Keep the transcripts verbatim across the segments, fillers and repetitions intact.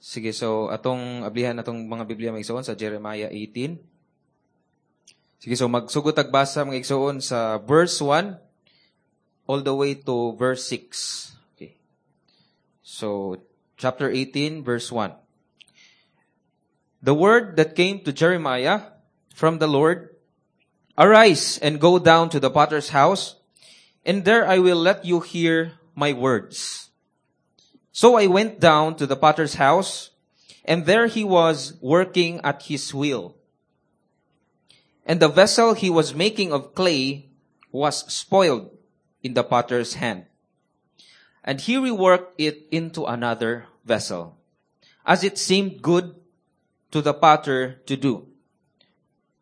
Sige, so atong ablihan atong mga Biblia mga igsoon sa Jeremiah eighteen. Sige, so magsugod tag basa mga igsoon sa verse one all the way to verse six. Okay. So chapter eighteen verse one. The word that came to Jeremiah from the Lord, "Arise and go down to the potter's house, and there I will let you hear my words." So I went down to the potter's house, and there he was working at his wheel. And the vessel he was making of clay was spoiled in the potter's hand. And he reworked it into another vessel, as it seemed good to the potter to do.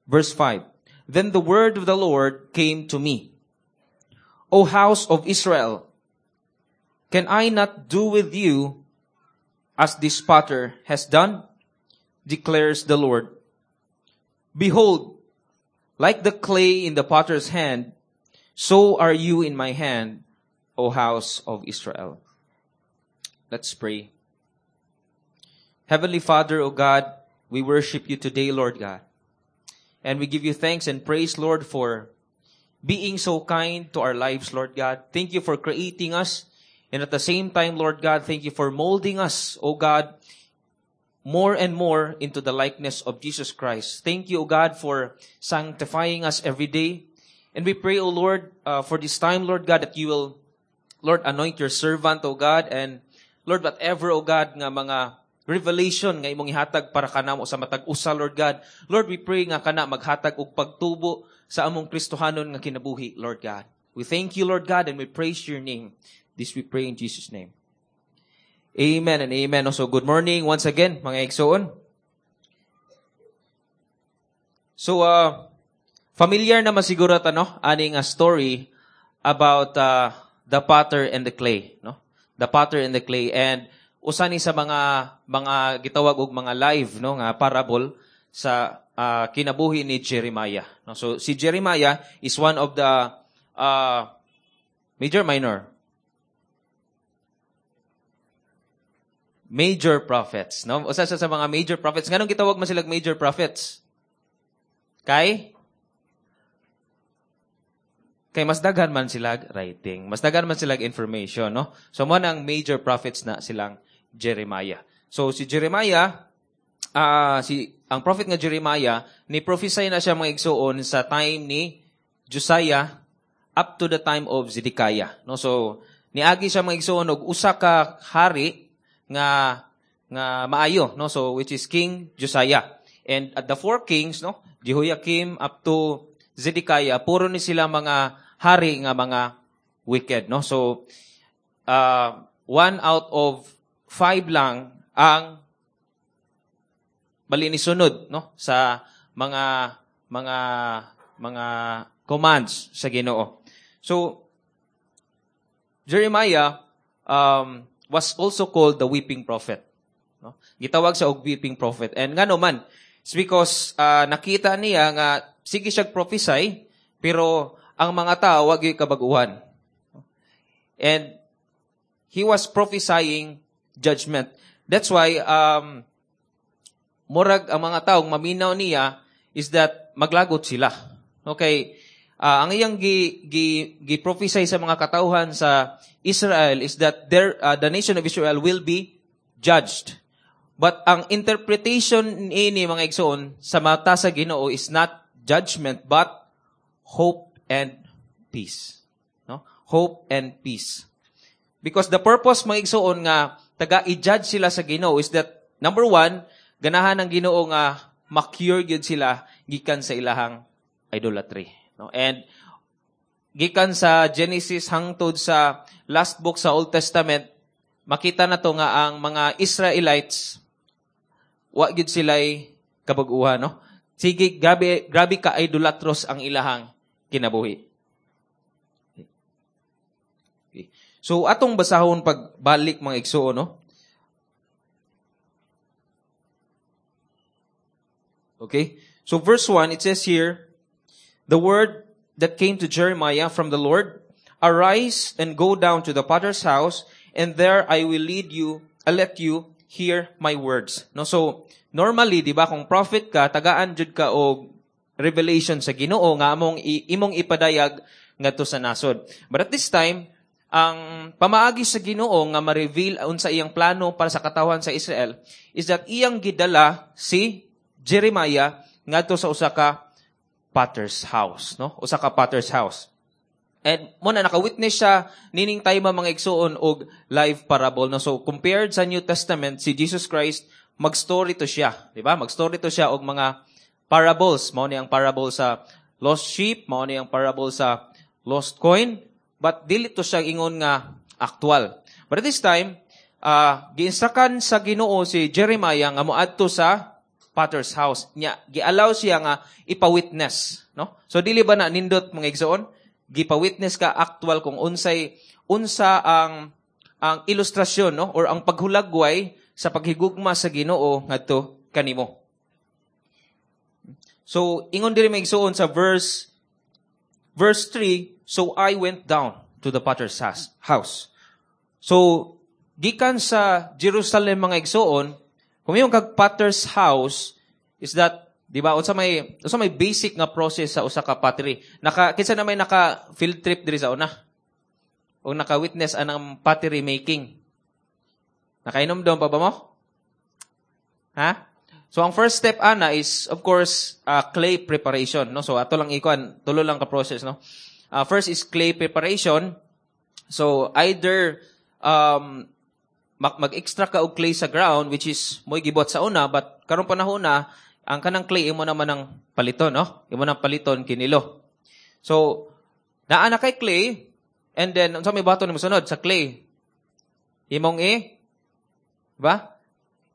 Verse five. Then the word of the Lord came to me, "O house of Israel, can I not do with you as this potter has done? Declares the Lord. Behold, like the clay in the potter's hand, so are you in my hand, O house of Israel." Let's pray. Heavenly Father, O God, we worship you today, Lord God. And we give you thanks and praise, Lord, for being so kind to our lives, Lord God. Thank you for creating us. And at the same time, Lord God, thank you for molding us, O God, more and more into the likeness of Jesus Christ. Thank you, O God, for sanctifying us every day. And we pray, O Lord, uh, for this time, Lord God, that you will, Lord, anoint your servant, O God, and Lord, whatever, O God, nga mga revelation nga imong ihatag para kanamo sa matag usa, Lord God. Lord, we pray nga kana maghatag og pagtubo sa among Kristohanon nga kinabuhi, Lord God. We thank you, Lord God, and we praise your name. This we pray in Jesus' name. Amen and amen. So good morning once again, mga igsoon. So, uh, familiar naman siguro ta, no? Aning a story about uh, the potter and the clay, no? The potter and the clay. And usa ni sa mga mga gitawag og mga live, no, nga parable sa uh, kinabuhi ni Jeremiah, no? So si Jeremiah is one of the uh, major minor major prophets, no? Usa sa, sa mga major prophets. Nganong gitawag man silag major prophets? Kay Kay mas daghan man silag writing, mas daghan man silag information, no? So mo nang major prophets na silang Jeremiah. So si Jeremiah, uh, si ang prophet nga Jeremiah, ni prophesy na siya mga igsuon sa time ni Josiah up to the time of Zedekiah, no? So niagi siya mga igsuon og usa ka hari nga nga maayo, no? So which is King Josiah. And at the four kings, no, Jehoiakim up to Zedekiah, puro ni sila mga hari nga mga wicked, no? So uh, one out of five lang ang bali ni sunod, no, sa mga mga mga commands sa Ginoo. So Jeremiah um, was also called the weeping prophet, no? Gitawag sa og weeping prophet. And ngano man, it's because uh, nakita niya nga sige siya prophesy pero ang mga tao wa gyud kabaguhan. And he was prophesying judgment. That's why um murag ang mga taong maminaw niya is that maglagot sila. Okay, uh, ang iyang gi, gi, gi prophesy sa mga katawhan sa Israel is that their uh, the nation of Israel will be judged. But ang interpretation niini mga igsoon sa mata sa Ginoo is not judgment but hope and peace. No? Hope and peace. Because the purpose mga igsoon nga taga i-judge sila sa Ginoo is that number one, ganahan ang Ginoo nga ma-cure gyud sila gikan sa ilahang idolatry, no? And gikan sa Genesis hangtod sa last book sa Old Testament, makita na to nga ang mga Israelites wa gyud sila'y kabag-uhan, no? Sige, grabe, grabe ka idolatros ang ilahang kinabuhi. Okay. So atong basahon pagbalik mga igsuon, no? Okay? So verse one, it says here, the word that came to Jeremiah from the Lord, "Arise and go down to the potter's house, and there I will lead you, I'll let you hear my words. No, so normally, di ba, kung prophet ka, tagaan jud ka og revelation sa Ginoo nga among imong ipadayag ngadto sa nasod. But at this time, ang pamaagi sa Ginoo nga ma-reveal unsa iyang plano para sa katawhan sa Israel is that iyang gidala si Jeremiah ngadto sa usa ka potter's house, no? Usa ka potter's house. And mao na naka-witness siya nining time, mga igsuon, og live parable, no? So compared sa New Testament, si Jesus Christ mag-story to siya, di ba? Mag-story to siya og mga parables. Mao ni ang parable sa lost sheep, mao ni ang parable sa lost coin, but dili to siya ingon nga actual. But at this time, uh, giinstructan sa Ginoo si Jeremiah nga moadto sa potter's house. Nya giallow siya nga ipa-witness, no? So dili ba na nindot, mga igsoon? Gipa-witness ka actual kung unsay unsa ang ang ilustrasyon, no, or ang paghulagway sa paghigugma sa Ginoo ngadto kanimo. So ingon diri, mga igsoon, sa verse verse three, "So I went down to the potter's house." So gikan sa Jerusalem, mga igsoon, kung yung kag potter's house is that, di ba, unsa may unsa may basic nga process sa usa ka pottery? Naka kinsa na may naka field trip diri sa una? O naka-witness anang pottery making? Nakainom pa ba mo? Ha? So ang first step ana is, of course, uh, clay preparation, no? So ato lang ikuan, tulo lang ka process, no? Uh, first is clay preparation. So either um mag-extract ka og clay sa ground, which is mo'y gibuhat sa una, but karong panahon na ang kanang clay imo naman ang paliton, no? Imo nang paliton kinilo. So naa na kay clay, and then unsa may buhaton nimo sunod sa clay? Imong i ba?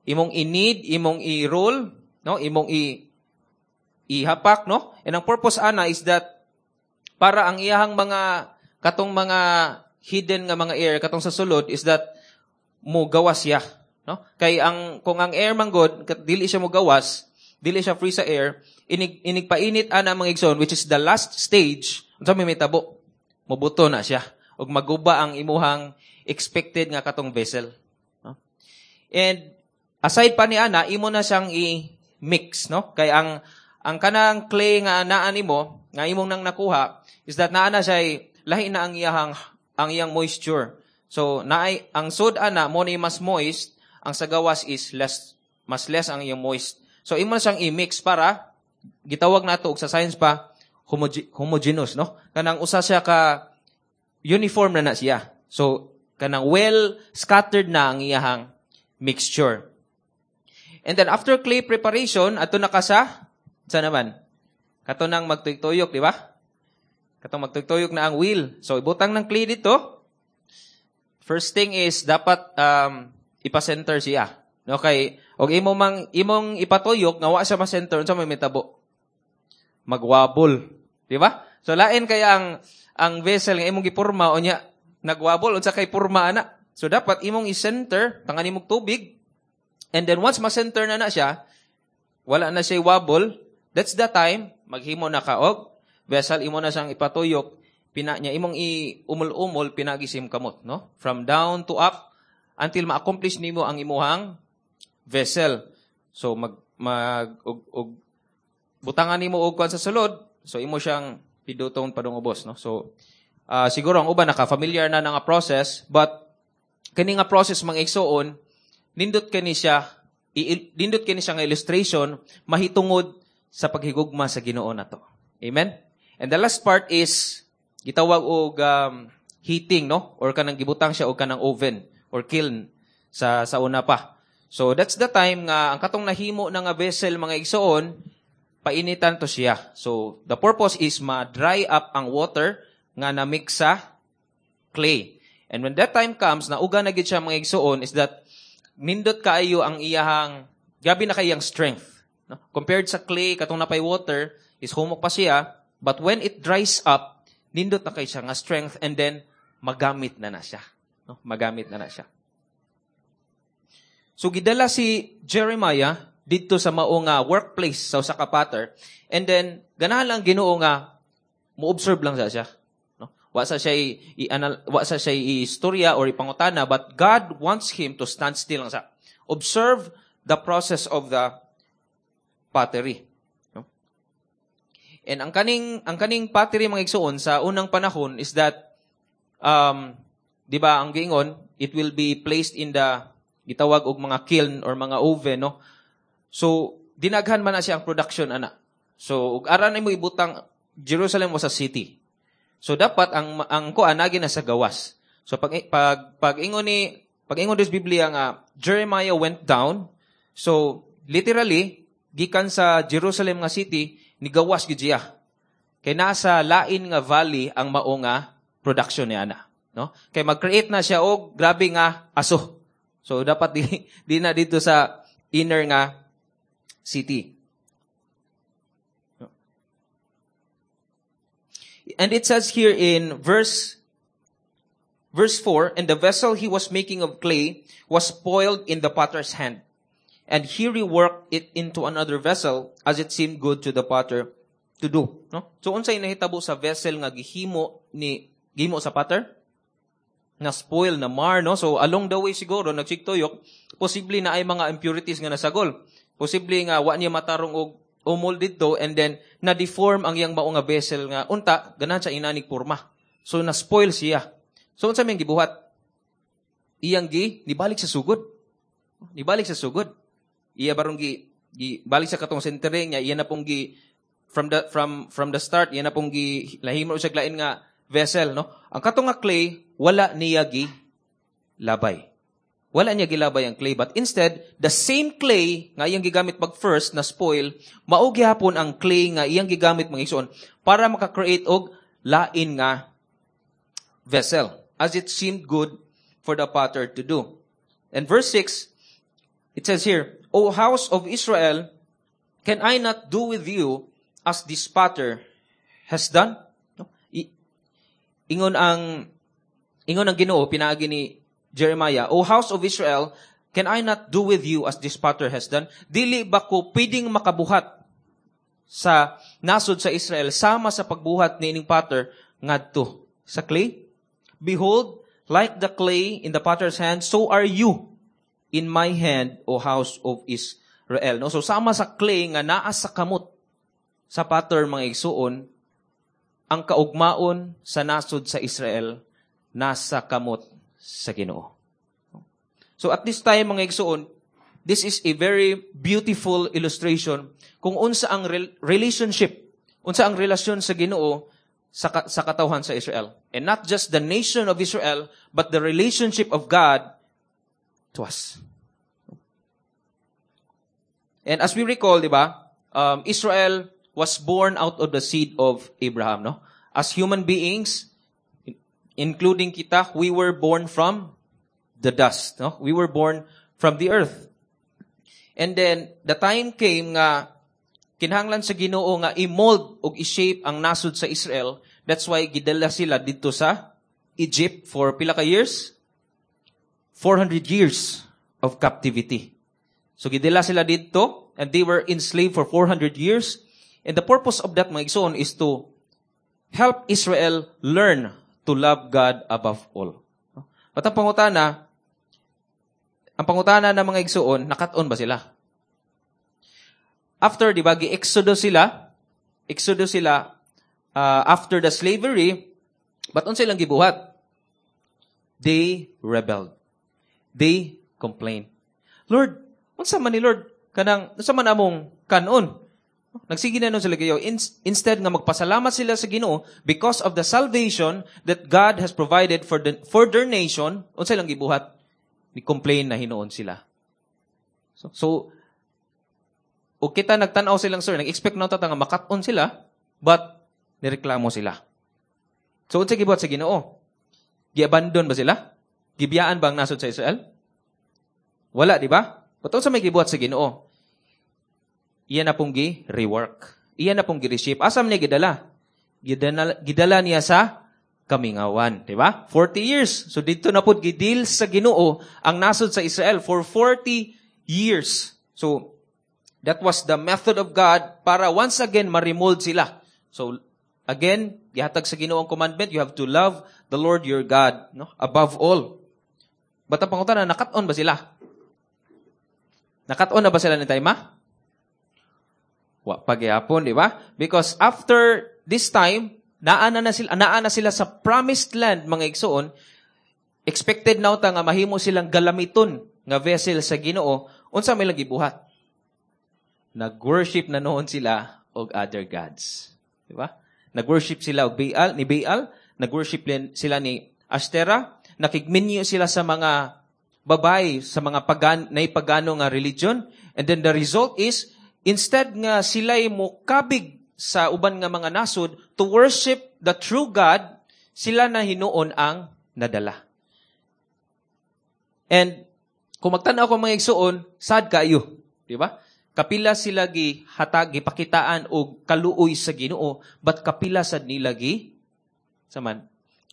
Imong i-knead, imong i-roll, no? Imong i ihapak, no? And ang purpose ana is that para ang iyahang mga katong mga hidden nga mga air katong sa sulod is that mo gawas siya, no? Kay ang kung ang air man gud dili siya mo gawas, dili siya free sa air, inig inig painit ana, mga igsoon, which is the last stage, unsa may mitabo? Mobuto na siya ug maguba ang imuhang expected nga katong vessel, no? And aside pa ni ana, imo na siyang i-mix, no? Kay ang ang kanang clay nga naa nimo, nga imong nang nakuha, is that naa na siya lahi na ang iyahang ang iyang moisture. So naay ang sud ana mo ni mas moist, ang sa gawas is less, mas less ang iyang moist. So imo na siyang i-mix para gitawag nato og sa science pa homoge- homogeneous, no? Kanang usa siya ka uniform na na siya. So kanang well scattered na ang iyahang mixture. And then after clay preparation, ato na ka sa sa naman? Kato nang magtuyok-tuyok, di ba? Katong magtuyok na ang wheel. So ibutang ng clay dito. First thing is dapat um, ipa-center siya. No, kay og imo mang imong ipatuyok nga wa siya ma-center, unsa may mitabo? Magwabol, di ba? So lain kay ang ang vessel nga imong gipurma unya nagwabol, unsa kay purma ana? So dapat imong i-center, tangan imong tubig. And then once ma-center na na siya, wala na siya wobble, that's the time maghimo na ka og vessel, imo na siyang ipatuyok, pina niya imong i-umol-umol pinagisim kamot, no? From down to up until ma-accomplish nimo ang imuhang vessel. So mag mag og, og butangan nimo og kuan sa sulod, so imo siyang piduton padung ubos, no? So uh, siguro ang uban naka-familiar na nga process, but kini nga process, mga igsoon, nindot kini siya i- nindot kini siya nga illustration mahitungod sa paghigugma sa Ginoo nato. Amen. And the last part is gitawag og um, heating, no, or kanang gibutang siya og kanang oven or kiln sa sa una pa. So that's the time nga ang katong nahimo na nga vessel, mga igsoon, painitan to siya. So the purpose is ma-dry up ang water nga na-mix sa clay. And when that time comes, nauga na gid siya, mga igsoon, is that nindot kaayo ang iyahang gabi na kayang strength. No? Compared sa clay katong napay water is humok pa siya, but when it dries up, nindot na kay siya nga strength and then magamit na na siya. No? Magamit na na siya. So gidala si Jeremiah didto sa mao nga workplace sa usa ka potter, and then ganahan lang Ginoo nga mo-observe lang sa siya. No? Wa sa siya i, i wa sa siya i-istorya or ipangutana, but God wants him to stand still lang sa. Observe the process of the pottery. No? And ang kaning ang kaning pottery mga igsuon sa unang panahon is that um di ba ang giingon it will be placed in the gitawag og mga kiln or mga oven no. So dinaghan man na siya ang production ana. So ug ara na mo ibutang Jerusalem was a city. So dapat ang ang kuan nagi na sa gawas. So pag pag pag ingon ni pag ingon des Biblia nga Jeremiah went down. So literally gikan sa Jerusalem nga city nigawas gid siya. Kay nasa lain nga valley ang mao nga production ni ana, no? Kay mag-create na siya og grabe nga aso. So dapat di, di na dito sa inner nga city. And it says here in verse verse four, and the vessel he was making of clay was spoiled in the potter's hand. And he reworked it into another vessel as it seemed good to the potter to do. No? So unsay nahitabo sa vessel nga gihimo ni gihimo sa potter? Na spoil na mar no. So along the way siguro nagsigtuyok, posible na ay mga impurities nga nasagol. Posible nga wa niya matarong og umol didto and then na-deform ang iyang mao nga vessel nga unta ganahan siya inanig porma. So na-spoil siya. So unsa may gibuhat? Iyang gi nibalik sa sugod. Nibalik sa sugod. Iya barong gi, gi balik sa katong centering niya, iya na pong gi from the from from the start iya na pong gi lahimo siya lain nga vessel no. Ang katong nga clay wala niya gi labay. Wala niya gilabay ang clay but instead the same clay nga iyang gigamit pag first na spoil mao gihapon ang clay nga iyang gigamit mga igsoon para maka-create og lain nga vessel as it seemed good for the potter to do. And verse six, it says here, O house of Israel, can I not do with you as this potter has done? No? I- ingon ang ingon ang Ginoo pinaagi ni Jeremiah, O house of Israel, can I not do with you as this potter has done? Dili ba ko pwedeng makabuhat sa nasod sa Israel sama sa pagbuhat ni ining potter ngadto sa clay? Behold, like the clay in the potter's hand, so are you in my hand, O house of Israel. No? So sama sa clay nga naa sa kamot sa potter mga igsuon, ang kaugmaon sa nasod sa Israel nasa kamot sa Ginoo. So at this time mga igsuon, this is a very beautiful illustration kung unsa ang rel- relationship, unsa ang relasyon sa Ginoo sa, ka- sa katawhan sa Israel. And not just the nation of Israel, but the relationship of God to us. And as we recall, di ba, um, Israel was born out of the seed of Abraham, no? As human beings, including kita, we were born from the dust, no? We were born from the earth. And then, the time came nga kinahanglan sa Ginoo nga i-mold og i-shape ang nasod sa Israel. That's why gidala sila dito sa Egypt for pila ka years? four hundred years of captivity. So gidala sila dito and they were enslaved for four hundred years. And the purpose of that, mga igsoon, is to help Israel learn to love God above all. At ang pangutana, ang pangutana ng mga igsoon, nakat-on ba sila? After, di ba, gi-exodus sila, exodus sila, uh, after the slavery, but unsa ilang gibuhat? They rebelled. They complained. Lord, unsa man ni Lord? Kanang, unsa man among kanon? Nagsige na nun sila kayo. Instead nga magpasalamat sila sa Ginoo because of the salvation that God has provided for the, for their nation, unsa ilang gibuhat? Ni-complain na hinuon sila. So, so o kita nagtan-aw silang sir, nag-expect na ta nga makat-on sila, but nireklamo sila. So unsa gibuhat sa Ginoo? Giabandon ba sila? Gibiyaan ba ang nasod sa Israel? Wala, di ba? But unsa may gibuhat sa Ginoo? Iya na pong gi-rework. Iya na pong gi-reshape. Asam niya gidala? Gidala, gidala niya sa kamingawan, di ba? forty years. So dito na po gidil sa Ginoo ang nasod sa Israel for forty years. So that was the method of God para once again ma-remold sila. So again, gihatag sa Ginoo ang commandment, you have to love the Lord your God, no? Above all. But ang pangutana, nakat-on ba sila? Nakat-on na ba sila ni time, ma? Wa pa gyapon, di ba? Because after this time, naa na, na sila, naa na sila sa promised land, mga igsoon, expected na ta nga mahimo silang galamiton nga vessel sa Ginoo, unsa may lang gibuhat? Nag-worship na noon sila og other gods. Di ba? Nag-worship sila og Baal, ni Baal, nag-worship sila ni Ashtera, nakigminyo sila sa mga babae, sa mga pagan, naipagano nga religion, and then the result is, instead nga sila'y mokabig sa uban nga mga nasod to worship the true God, sila na hinuon ang nadala. And kung magtan-aw ko mga igsuon, sad kayo, di ba? Kapila sila gi hatag gipakitaan og kaluoy sa Ginoo, but kapila sad nila gi saman.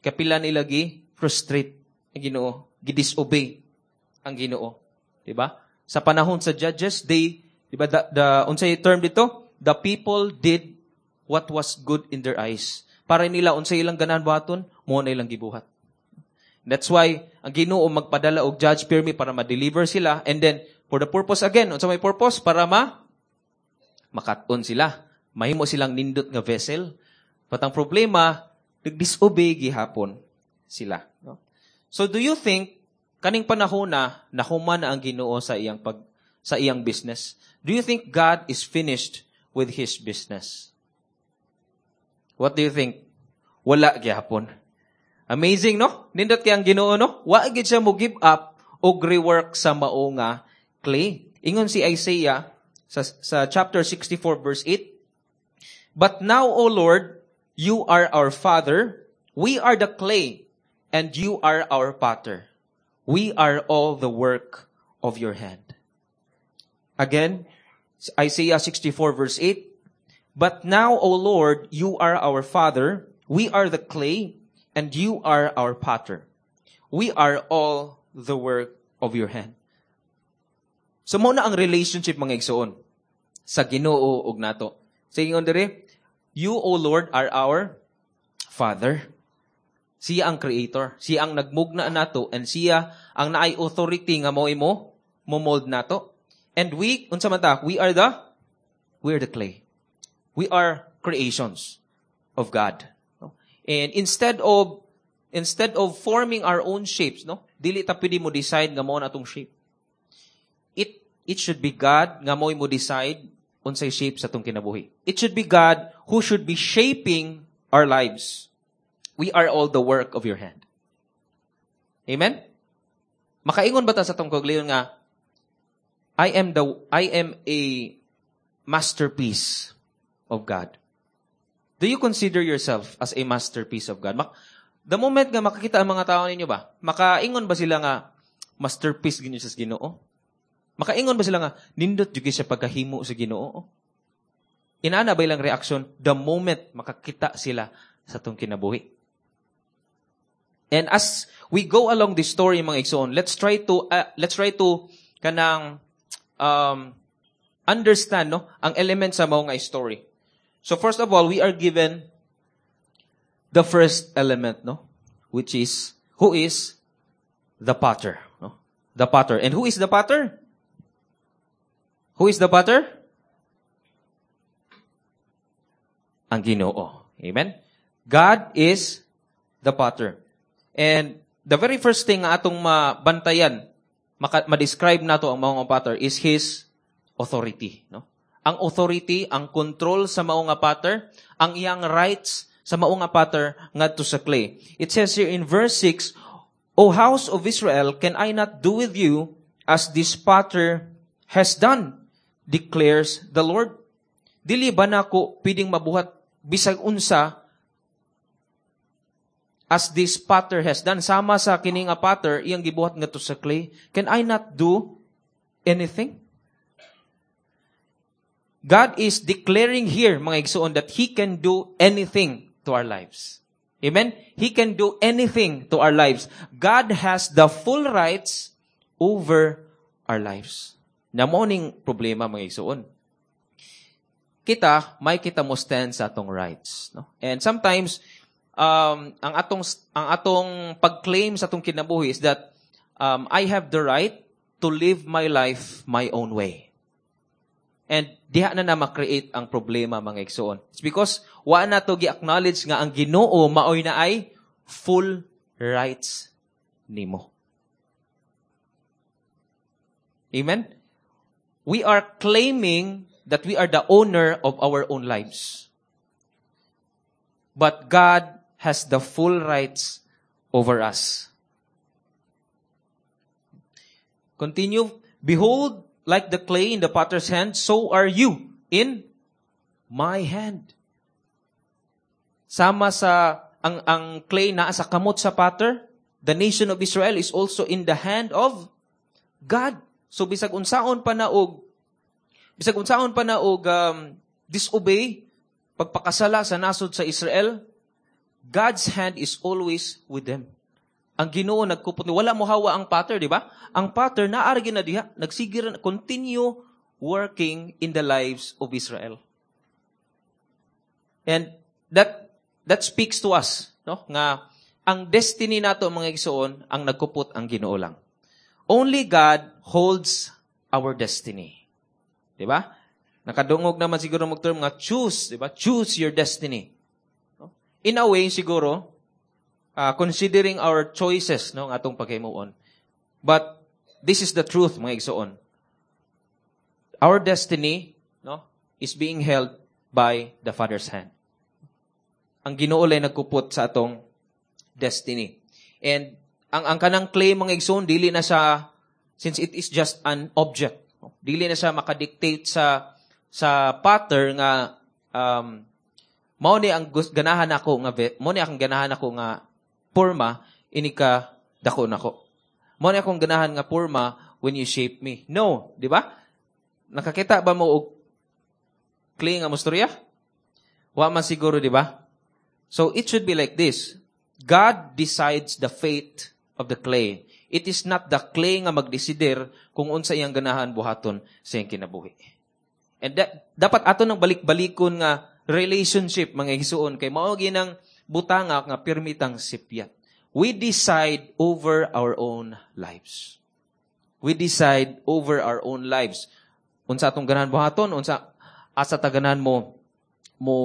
Kapila nila gi frustrate ang Ginoo, gi-disobey ang Ginoo, di ba? Sa panahon sa judges, they, di ba, the, the unsay term dito? The people did what was good in their eyes. Para nila unsay ilang ganahan buhaton, mo na ilang gibuhat. That's why ang Ginoo magpadala og judge pirmi para ma-deliver sila and then for the purpose again, unsa may purpose para ma makat-on sila. Mahimo silang nindot nga vessel. But ang problema, nag-disobey gihapon sila, no? So do you think kaning panahon na nahuman na ang Ginoo sa iyang pag sa iyang business? Do you think God is finished with his business? What do you think? Wala gihapon. Amazing, no? Nindot kay ang Ginoo, no? Wa gid siya mo give up og rework sa mao nga clay. Ingon si Isaiah sa, sa chapter sixty-four verse eight, "But now, O Lord, you are our Father, we are the clay, and you are our potter. We are all the work of your hand." Again, Isaiah sixty-four verse eight, "But now, O Lord, you are our Father, we are the clay, and you are our potter. We are all the work of your hand." So, mao na ang relationship mga igsoon sa Ginoo ug nato. Sa ingon dire, "You, O Lord, are our Father." Siya ang creator. Siya ang nagmugna nato and siya ang naay authority nga mo imo mo mold nato. And we, unsa man ta, we are the we are the clay. We are creations of God. And instead of instead of forming our own shapes, no? Dili ta pwede mo decide nga mao na atong shape. It it should be God nga mo mo decide unsay shape sa atong kinabuhi. It should be God who should be shaping our lives. We are all the work of your hand. Amen? Makaingon ba ta sa atong kaugalingon nga I am the I am a masterpiece of God? Do you consider yourself as a masterpiece of God? Mak- the moment nga makakita ang mga tao ninyo ba, makaingon ba sila nga masterpiece gyud sa Ginoo? Makaingon ba sila nga nindot jud siya pagkahimo sa Ginoo? Inana ba ilang reaction the moment makakita sila sa atong kinabuhi? And as we go along this story mga igsoon, let's try to uh, let's try to kanang um, understand no ang element sa mao nga story. So first of all, we are given the first element, no? Which is, who is the potter, no? The potter. And who is the potter? Who is the potter? Ang Ginoo. Amen? God is the potter. And the very first thing nga atong mabantayan, maka, ma-describe nato ang maong potter is his authority, no? Ang authority, ang control sa mao nga potter, ang iyang rights sa mao nga potter ngadto sa clay. It says here in verse six, "O house of Israel, can I not do with you as this potter has done, declares the Lord?" Dili ba nako pwedeng mabuhat bisag unsa as this potter has done? Sama sa kini nga potter, iyang gibuhat ngadto sa clay. Can I not do anything? God is declaring here, mga igsoon, that He can do anything to our lives. Amen? He can do anything to our lives. God has the full rights over our lives. Na mo ning problema, mga igsoon. Kita, may kita mo stand sa atong rights. No? And sometimes, um, ang atong, ang atong pag-claim sa atong kinabuhi is that um, I have the right to live my life my own way. And diha na na ma-create ang problema mga igsoon. It's because wa na to gi-acknowledge nga ang Ginoo maoy naay full rights nimo. Amen? We are claiming that we are the owner of our own lives. But God has the full rights over us. Continue. Behold, like the clay in the potter's hand, so are you in my hand. Sama sa ang ang clay naa sa kamot sa potter, the nation of Israel is also in the hand of God. So bisag unsaon pa na og bisag unsaon pa na og um, disobey pagpakasala sa nasod sa Israel, God's hand is always with them. Ang Ginoo nagkupot ni wala mo hawa ang potter, di ba? Ang potter naa ra na diha, nagsige ra continue working in the lives of Israel. And that that speaks to us, no? Nga ang destiny nato mga igsoon, ang nagkupot ang Ginoo lang. Only God holds our destiny. Di ba? Nakadungog naman siguro mag term nga choose, di ba? Choose your destiny. No? In a way siguro, uh, considering our choices no ang atong paghimuon. But this is the truth mga igsoon. Our destiny no is being held by the Father's hand. Ang Ginoo lay nagkupot sa atong destiny. And ang ang kanang clay mga igsoon dili na siya since it is just an object. No? Dili na siya makadictate sa sa potter nga um, mao ni ang ganahan ako nga mao ni akong ganahan ako nga porma ini ka dako nako. Mao ni akong ganahan nga porma when you shape me. No, di ba? Nakakita ba mo og clay nga mostorya? Wa man siguro, di ba? So it should be like this. God decides the fate of the clay. It is not the clay nga magdesider kung unsa iyang ganahan buhaton sa iyang kinabuhi. And that, dapat ato nang balik-balikon nga relationship mga igsuon kay mao ginang butanga nga pirmitang sipyat. We decide over our own lives. We decide over our own lives. Unsa atong ganahan buhaton, unsa asa ta ganahan mo mo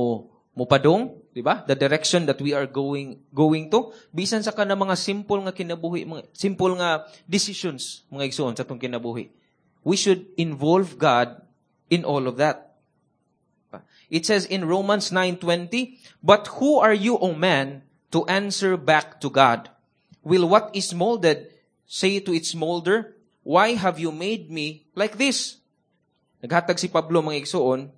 mo padung, di ba? The direction that we are going going to bisan sa kana mga simple nga kinabuhi, mga simple nga decisions mga igsuon sa atong kinabuhi. We should involve God in all of that. It says in Romans nine twenty, "But who are you, O man, to answer back to God? Will what is molded say to its molder, Why have you made me like this?" Naghatag si Pablo mga igsuon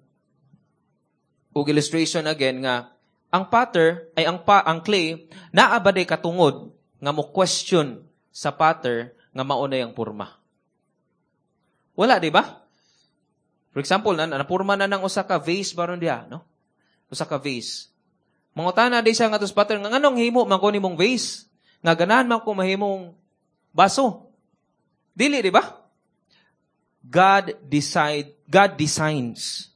og illustration again nga ang potter ay ang pa, ang clay naa ba day katungod nga mo question sa potter nga mao na yang porma. Wala, di ba? For example, na napurma na ng usa ka vase baron diha, no? Usa ka vase. Mangutana di siya nga sa potter nga nganong himo man ko nimong vase? Nga ganahan man ko mahimong baso. Dili, di ba? God decide, God designs.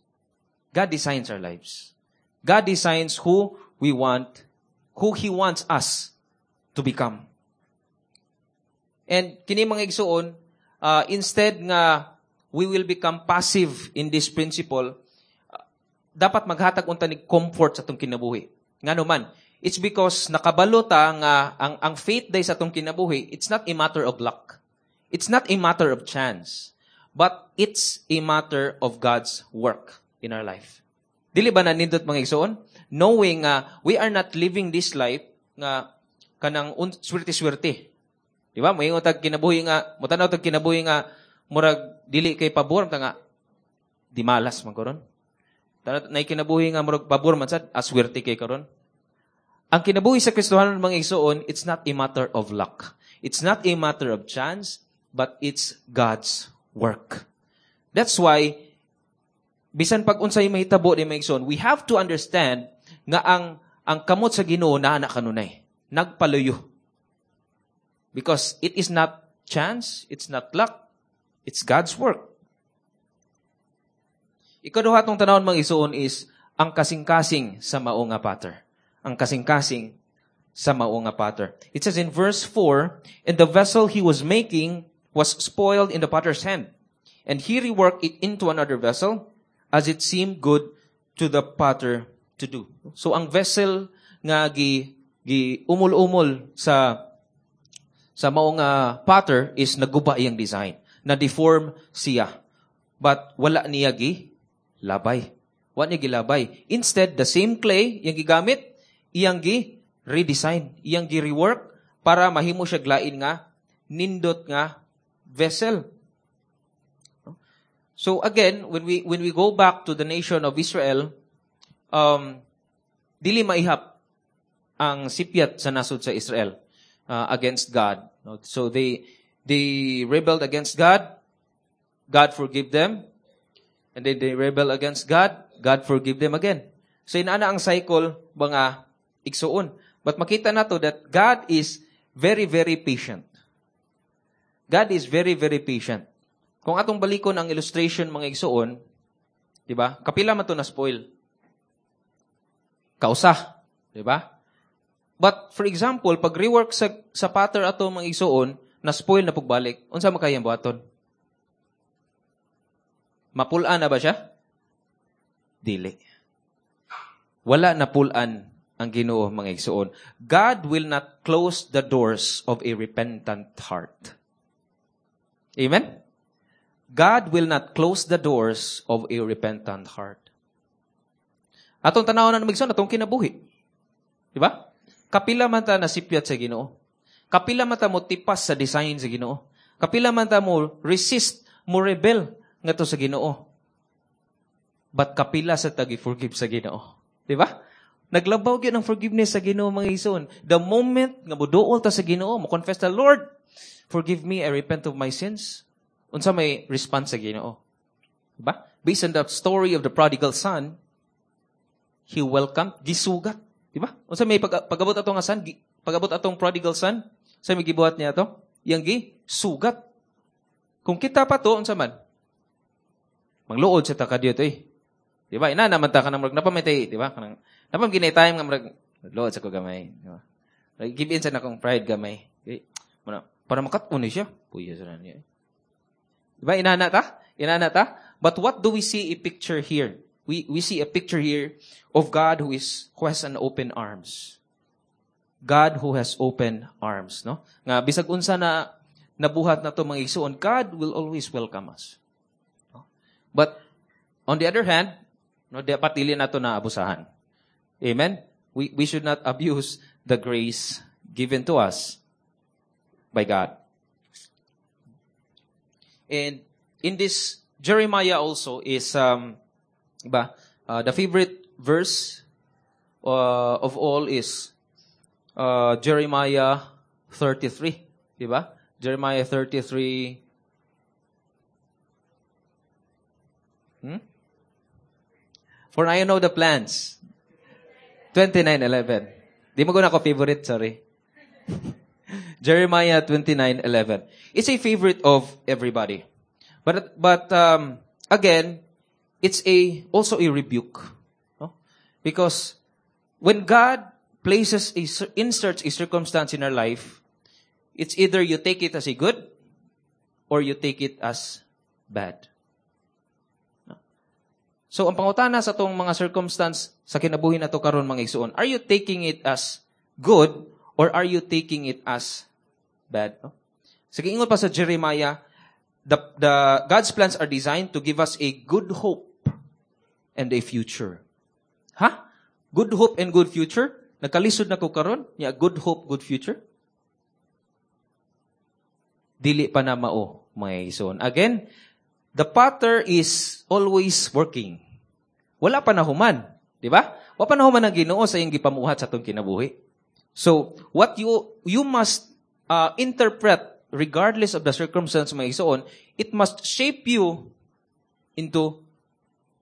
God designs our lives. God designs who we want, who He wants us to become. And kini mga igsuon, uh, instead nga we will become passive in this principle, uh, dapat maghatag unta ni comfort sa atong kinabuhi. Ngano man, it's because nakabalo ta nga ang ang faith day sa atong kinabuhi, it's not a matter of luck. It's not a matter of chance, but it's a matter of God's work in our life. Dili ba nanindot mga igsoon? Knowing nga uh, we are not living this life nga kanang swerte-swerte. Di ba? Moingon tag kinabuhi nga, motanaw tag kinabuhi nga murag dili kay pabor ta nga di malas man karon. Tanat nay kinabuhi nga murag pabor man sad, aswerte kay karon. Ang kinabuhi sa Kristohanon mga igsoon, it's not a matter of luck. It's not a matter of chance, but it's God's work. That's why bisan pag unsay mahitabo ni mga igsoon, we have to understand nga ang ang kamot sa Ginoo naa na kanunay. Nagpaluyo. Because it is not chance, it's not luck, it's God's work. Ikaduha tong tanawon mga igsoon is ang kasing-kasing sa mao nga potter. Ang kasing-kasing sa mao nga potter. It says in verse four, "And the vessel he was making was spoiled in the potter's hand, and he reworked it into another vessel as it seemed good to the potter to do. So ang vessel nga gi gi umol-umol sa sa mao nga potter is naguba iyang design, na deform siya. But wala niya gi labay. Wa niya gilabay. Instead, the same clay iyang gigamit, iyang gi redesign, iyang gi rework para mahimo siya lain nga nindot nga vessel. So again, when we when we go back to the nation of Israel, um, dili maihap ang sipyat sa nasod sa Israel uh, against God. So they they rebelled against God. God forgive them. And then they rebel against God. God forgive them again. So inana ang cycle mga igsuon. But makita nato that God is very very patient. God is very very patient. Kung atong balikon ang illustration mga igsuon, di ba? Kapila man to na spoil. Kausa, di ba? But for example, pag rework sa sa potter ato mga igsuon, na spoil na pagbalik, unsa man kayang buhaton? Mapul-an na ba siya? Dili. Wala na pul-an ang Ginoo mga igsuon. God will not close the doors of a repentant heart. Amen? God will not close the doors of a repentant heart. Atong tanaw na mga atong kinabuhi. Di ba? Kapila man ta nasipyat sa Ginoo. Kapila man ta mo tipas sa design sa Ginoo. Kapila man ta mo resist, mo rebel ngadto sa Ginoo. But kapila sa ta gi-forgive sa Ginoo. Di ba? Naglabaw gyud ang forgiveness sa Ginoo mga igsoon. The moment nga moduol ta sa Ginoo, mo confess ta, Lord, forgive me, I repent of my sins. Unsa may response sa Ginoo? Diba? Based on the story of the prodigal son, he welcomed, gisugat. Diba? Unsa may pag, pag-abot atong nga son, pag-abot atong prodigal son, sa may gibuhat niya ato? Yang gi sugat. Kung kita pa to, unsa man? Mangluod sa ta kadiyot eh. Diba? Ina naman ta kanang murag napamitay, diba? Kanang napam ginay time nga murag luod sa ko gamay, diba? Like, give in sa nakong pride gamay. Okay. Muna, para makat-on ni siya. Puya sa niya. Diba? Inana ta? Inana ta? But what do we see a picture here? We we see a picture here of God who is who has an open arms. God who has open arms, no? Nga bisag unsa na nabuhat na to mga igsuon, God will always welcome us. No? But on the other hand, no, dapat dili nato na abusahan. Amen? We we should not abuse the grace given to us by God. And in this Jeremiah also is um ba uh, the favorite verse uh, of all is uh, Jeremiah thirty-three, di ba? Jeremiah thirty-three. Hmm? For I know the plans. twenty-nine eleven. Di mo ko favorite, sorry. Jeremiah twenty-nine eleven. It's a favorite of everybody. But but um, again, it's a also a rebuke. No? Because when God places a, inserts a circumstance in our life, it's either you take it as a good or you take it as bad. No? So, ang pangutana sa atong mga circumstance sa kinabuhi nato karon mga igsuon, are you taking it as good or are you taking it as bad? No? Sige, ingon pa sa Jeremiah, the, the God's plans are designed to give us a good hope and a future. Ha? Good hope and good future? Nagkalisod na ko karon? Ya, good hope, good future? Dili pa na mao, mga igsoon. Again, the potter is always working. Wala pa nahuman, di ba? Wala pa nahuman ang Ginoo sa iyang gipamuhat sa atong kinabuhi. So, what you you must uh, interpret, regardless of the circumstance, mga igsoon, it must shape you into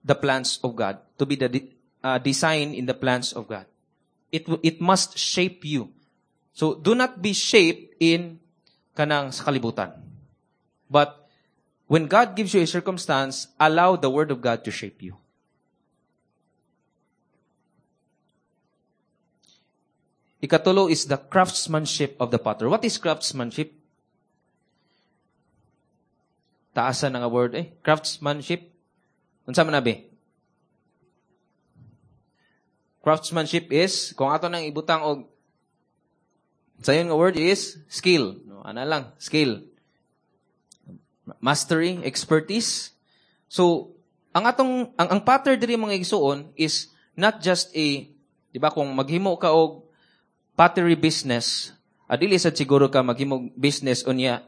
the plans of God, to be the de- uh, design in the plans of God. It it must shape you. So, do not be shaped in kanang sa kalibutan. But, when God gives you a circumstance, allow the Word of God to shape you. Ikatulo is the craftsmanship of the potter. What is craftsmanship? Taasan na nga word eh. Craftsmanship. Unsa man abi? Craftsmanship is kung ato nang ibutang og sayon nga word is skill. No, ana lang, skill. Mastery, expertise. So, ang atong ang, ang potter diri mga igsuon is not just a, di ba kung maghimo ka og pottery business, adili sad siguro ka maghimo business unya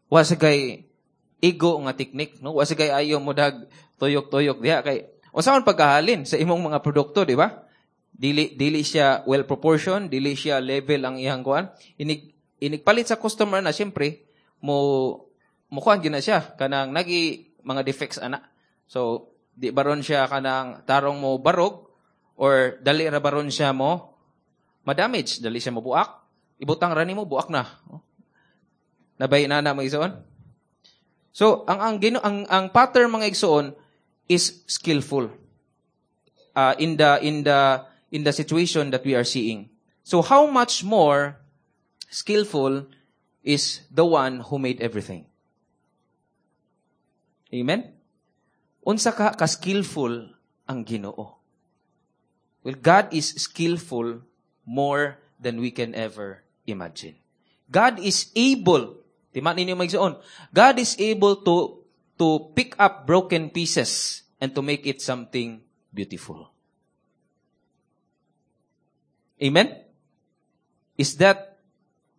wa sa kay igo nga technique, no? Wa sa kay ayo mo dag tuyok-tuyok diha kay unsa man pagkahalin sa imong mga produkto, di ba? Dili dili siya well proportioned, dili siya level ang iyang kuan. Inig inig palit sa customer na siyempre mo mo kuan gyud na siya kanang nagi mga defects ana. So di baron siya kanang tarong mo barog or dali ra baron siya mo ma-damage, dali siya mo buak. Ibutang ra nimo buak na. Nabay na na mga igsoon? So, ang ang gino ang ang potter mga igsoon is skillful. Uh, in the in the in the situation that we are seeing. So how much more skillful is the one who made everything? Amen? Unsa ka ka-skillful ang Ginoo? Well, God is skillful more than we can ever imagine. God is able, tima ninyo mga God is able to to pick up broken pieces and to make it something beautiful. Amen? Is that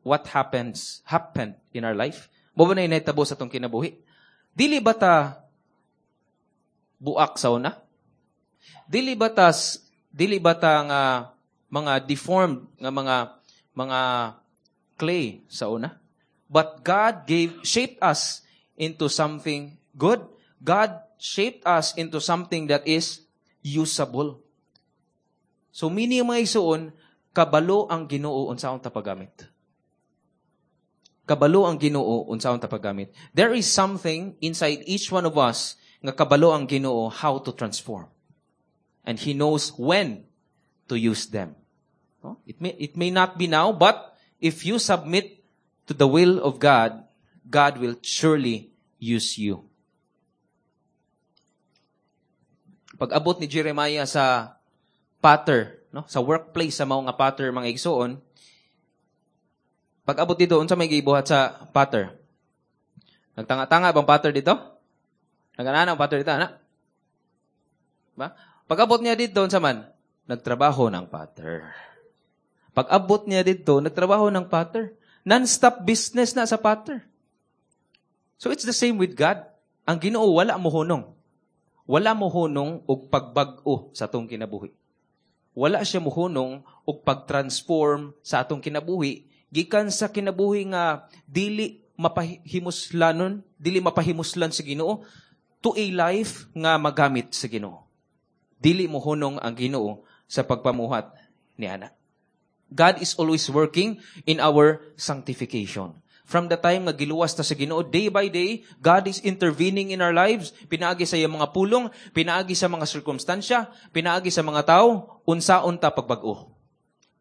what happens, happened in our life? Mao ba na inahitabo sa atong kinabuhi? Dili ba ta buak sa una? Dili ba ta, dili ba ta nga mga deformed nga mga mga clay sa una? But God gave shaped us into something good. God shaped us into something that is usable. So meaning mga igsuon, kabalo ang Ginoo unsaon ta paggamit. Kabalo ang Ginoo unsaon ta paggamit. There is something inside each one of us nga kabalo ang Ginoo how to transform. And He knows when to use them. No? It may, it may not be now, but if you submit to the will of God, God will surely use you. Pag-abot ni Jeremiah sa potter, no? Sa workplace sa mao nga potter mga igsuon, pag-abot dito unsa may gibuhat sa potter? Nagtanga-tanga bang potter dito? Nag-ana ang potter dito, ana? Ba? Pag-abot niya dito unsa man? Nagtrabaho ng potter. Pag-abot niya dito, nagtrabaho ng potter. Non-stop business na sa potter. So it's the same with God. Ang Ginoo wala mohunong. Wala mohunong og pagbag-o sa atong kinabuhi. Wala siya mohunong og pag-transform sa atong kinabuhi gikan sa kinabuhi nga dili mapahimuslanon, dili mapahimuslan sa Ginoo to a life nga magamit sa Ginoo. Dili mohunong ang Ginoo sa pagpamuhat ni ana. God is always working in our sanctification. From the time nga giluwas ta sa Ginoo, day by day, God is intervening in our lives. Pinaagi sa iyang mga pulong, pinaagi sa mga sirkumstansya, pinaagi sa mga tao, unsaon ta pagbag-o.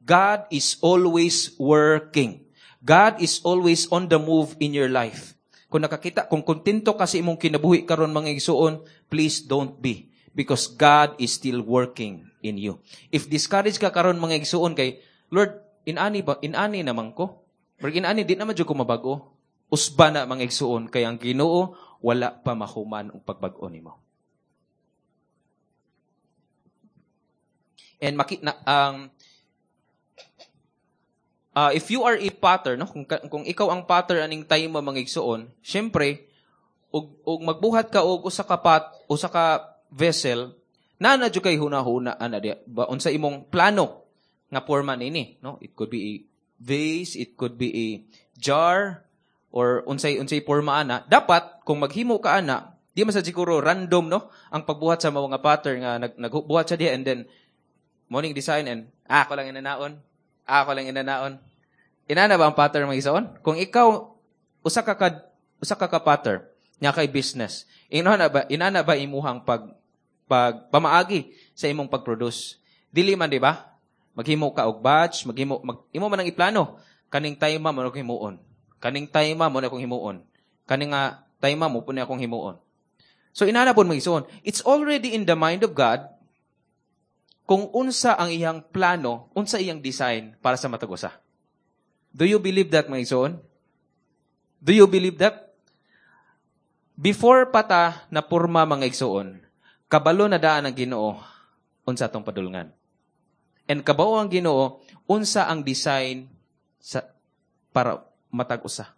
God is always working. God is always on the move in your life. Kung nakakita, kung kontento ka sa imong kinabuhi karon mga igsuon, please don't be. Because God is still working in you. If discouraged ka karon mga igsuon kay, Lord, inani ba, inani naman ko. Pero inani, di naman jud ko mabago. Usba na mga igsuon, kay ang Ginoo wala pa mahuman ang pagbag-o nimo. And maki, na, ang uh, if you are a potter, no, kung, kung ikaw ang potter aning time mo mga igsuon, syempre og, og magbuhat ka og usa ka pot, usa ka vessel, naa na jud kay huna-huna ana di ba unsa imong plano nga porma nini, no? It could be a vase, it could be a jar, or unsay unsay porma ana. Dapat kung maghimo ka ana, di man sa siguro random, no, ang pagbuhat sa mga potter nga nag, nagbuhat siya diha and then morning design and ah, ako lang inanaon. Ah, ako lang inanaon. Inana ba ang potter mga igsoon? Kung ikaw usa ka, ka usa ka ka potter nya kay business, inana ba inana ba imuhang pag pag pamaagi sa imong pag-produce? Dili man, di ba? Maghimo ka og batch, maghimo mag, imo man ang iplano. Kaning time mo akong himuon. Kaning time mo na akong himuon. Kaning nga Time mao pud ni akong himuon. So inana pud mga igsoon, it's already in the mind of God kung unsa ang iyang plano, unsa iyang design para sa matag usa. Do you believe that mga igsoon? Do you believe that? Before pa ta napurma mga igsoon, kabalo na daan ang Ginoo unsa atong padulngan. And kabawo ang Ginoo unsa ang design sa para matag usa.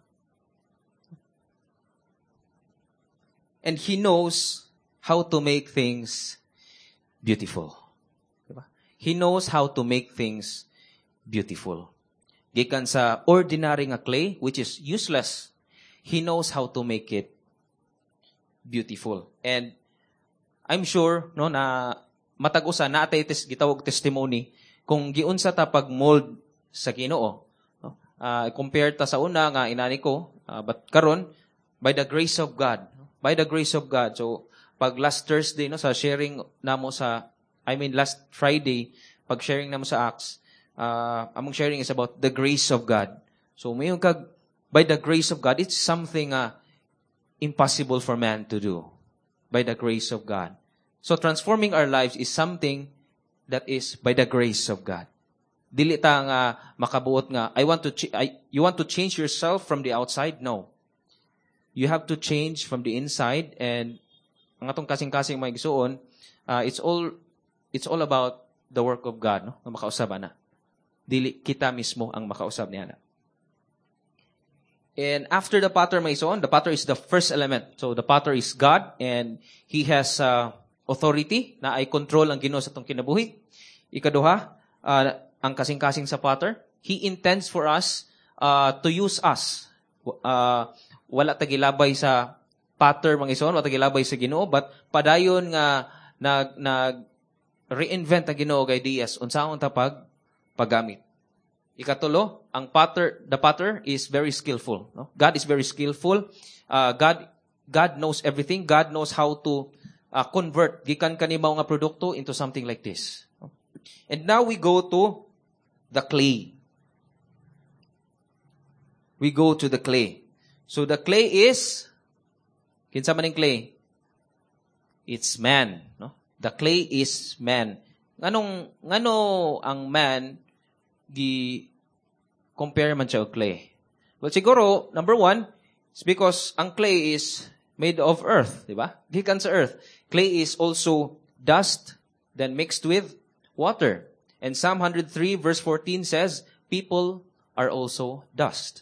And He knows how to make things beautiful. Diba? He knows how to make things beautiful. Gikan sa ordinary nga clay, which is useless, He knows how to make it beautiful. And I'm sure no na matag usa naa tay tes, gitawag testimony kung giunsa ta pag-mold sa Ginoo. No? Uh, compare ta sa una nga inani ko, uh, but karon by the grace of God, by the grace of God. So pag last Thursday no sa sharing namo sa I mean last Friday pag sharing namo sa Acts, uh, among sharing is about the grace of God. So mayon kag by the grace of God, it's something uh, impossible for man to do. By the grace of God. So transforming our lives is something that is by the grace of God. Dili ta nga makabuot nga I want to ch- I, you want to change yourself from the outside? No. You have to change from the inside and ang atong kasing-kasing mga igsuon, uh, it's all it's all about the work of God, no? Nga makausab ana. Dili kita mismo ang makausab niya na. And after the potter, mga igsoon, the potter is the first element. So the potter is God and He has uh, authority naay control ang Ginoo sa atong kinabuhi. Ikaduha, uh, ang kasing-kasing sa potter, He intends for us uh, to use us. Uh, wala ta gilabay sa potter mga igsoon, wala ta gilabay sa Ginoo, but padayon nga nag nag reinvent ang Ginoo og ideas unsaon ta pag paggamit. Ikatulo, ang potter, the potter is very skillful. No? God is very skillful. Uh, God God knows everything. God knows how to uh, convert gikan kani mao nga produkto into something like this. No? And now we go to the clay. We go to the clay. So the clay is kinsa man ning clay? It's man, no? The clay is man. Nganong ngano ang man gi compare man siya og clay? Well, siguro number one, it's because ang clay is made of earth, di ba? Gikan sa earth. Clay is also dust then mixed with water. And Psalm one hundred three verse fourteen says, people are also dust.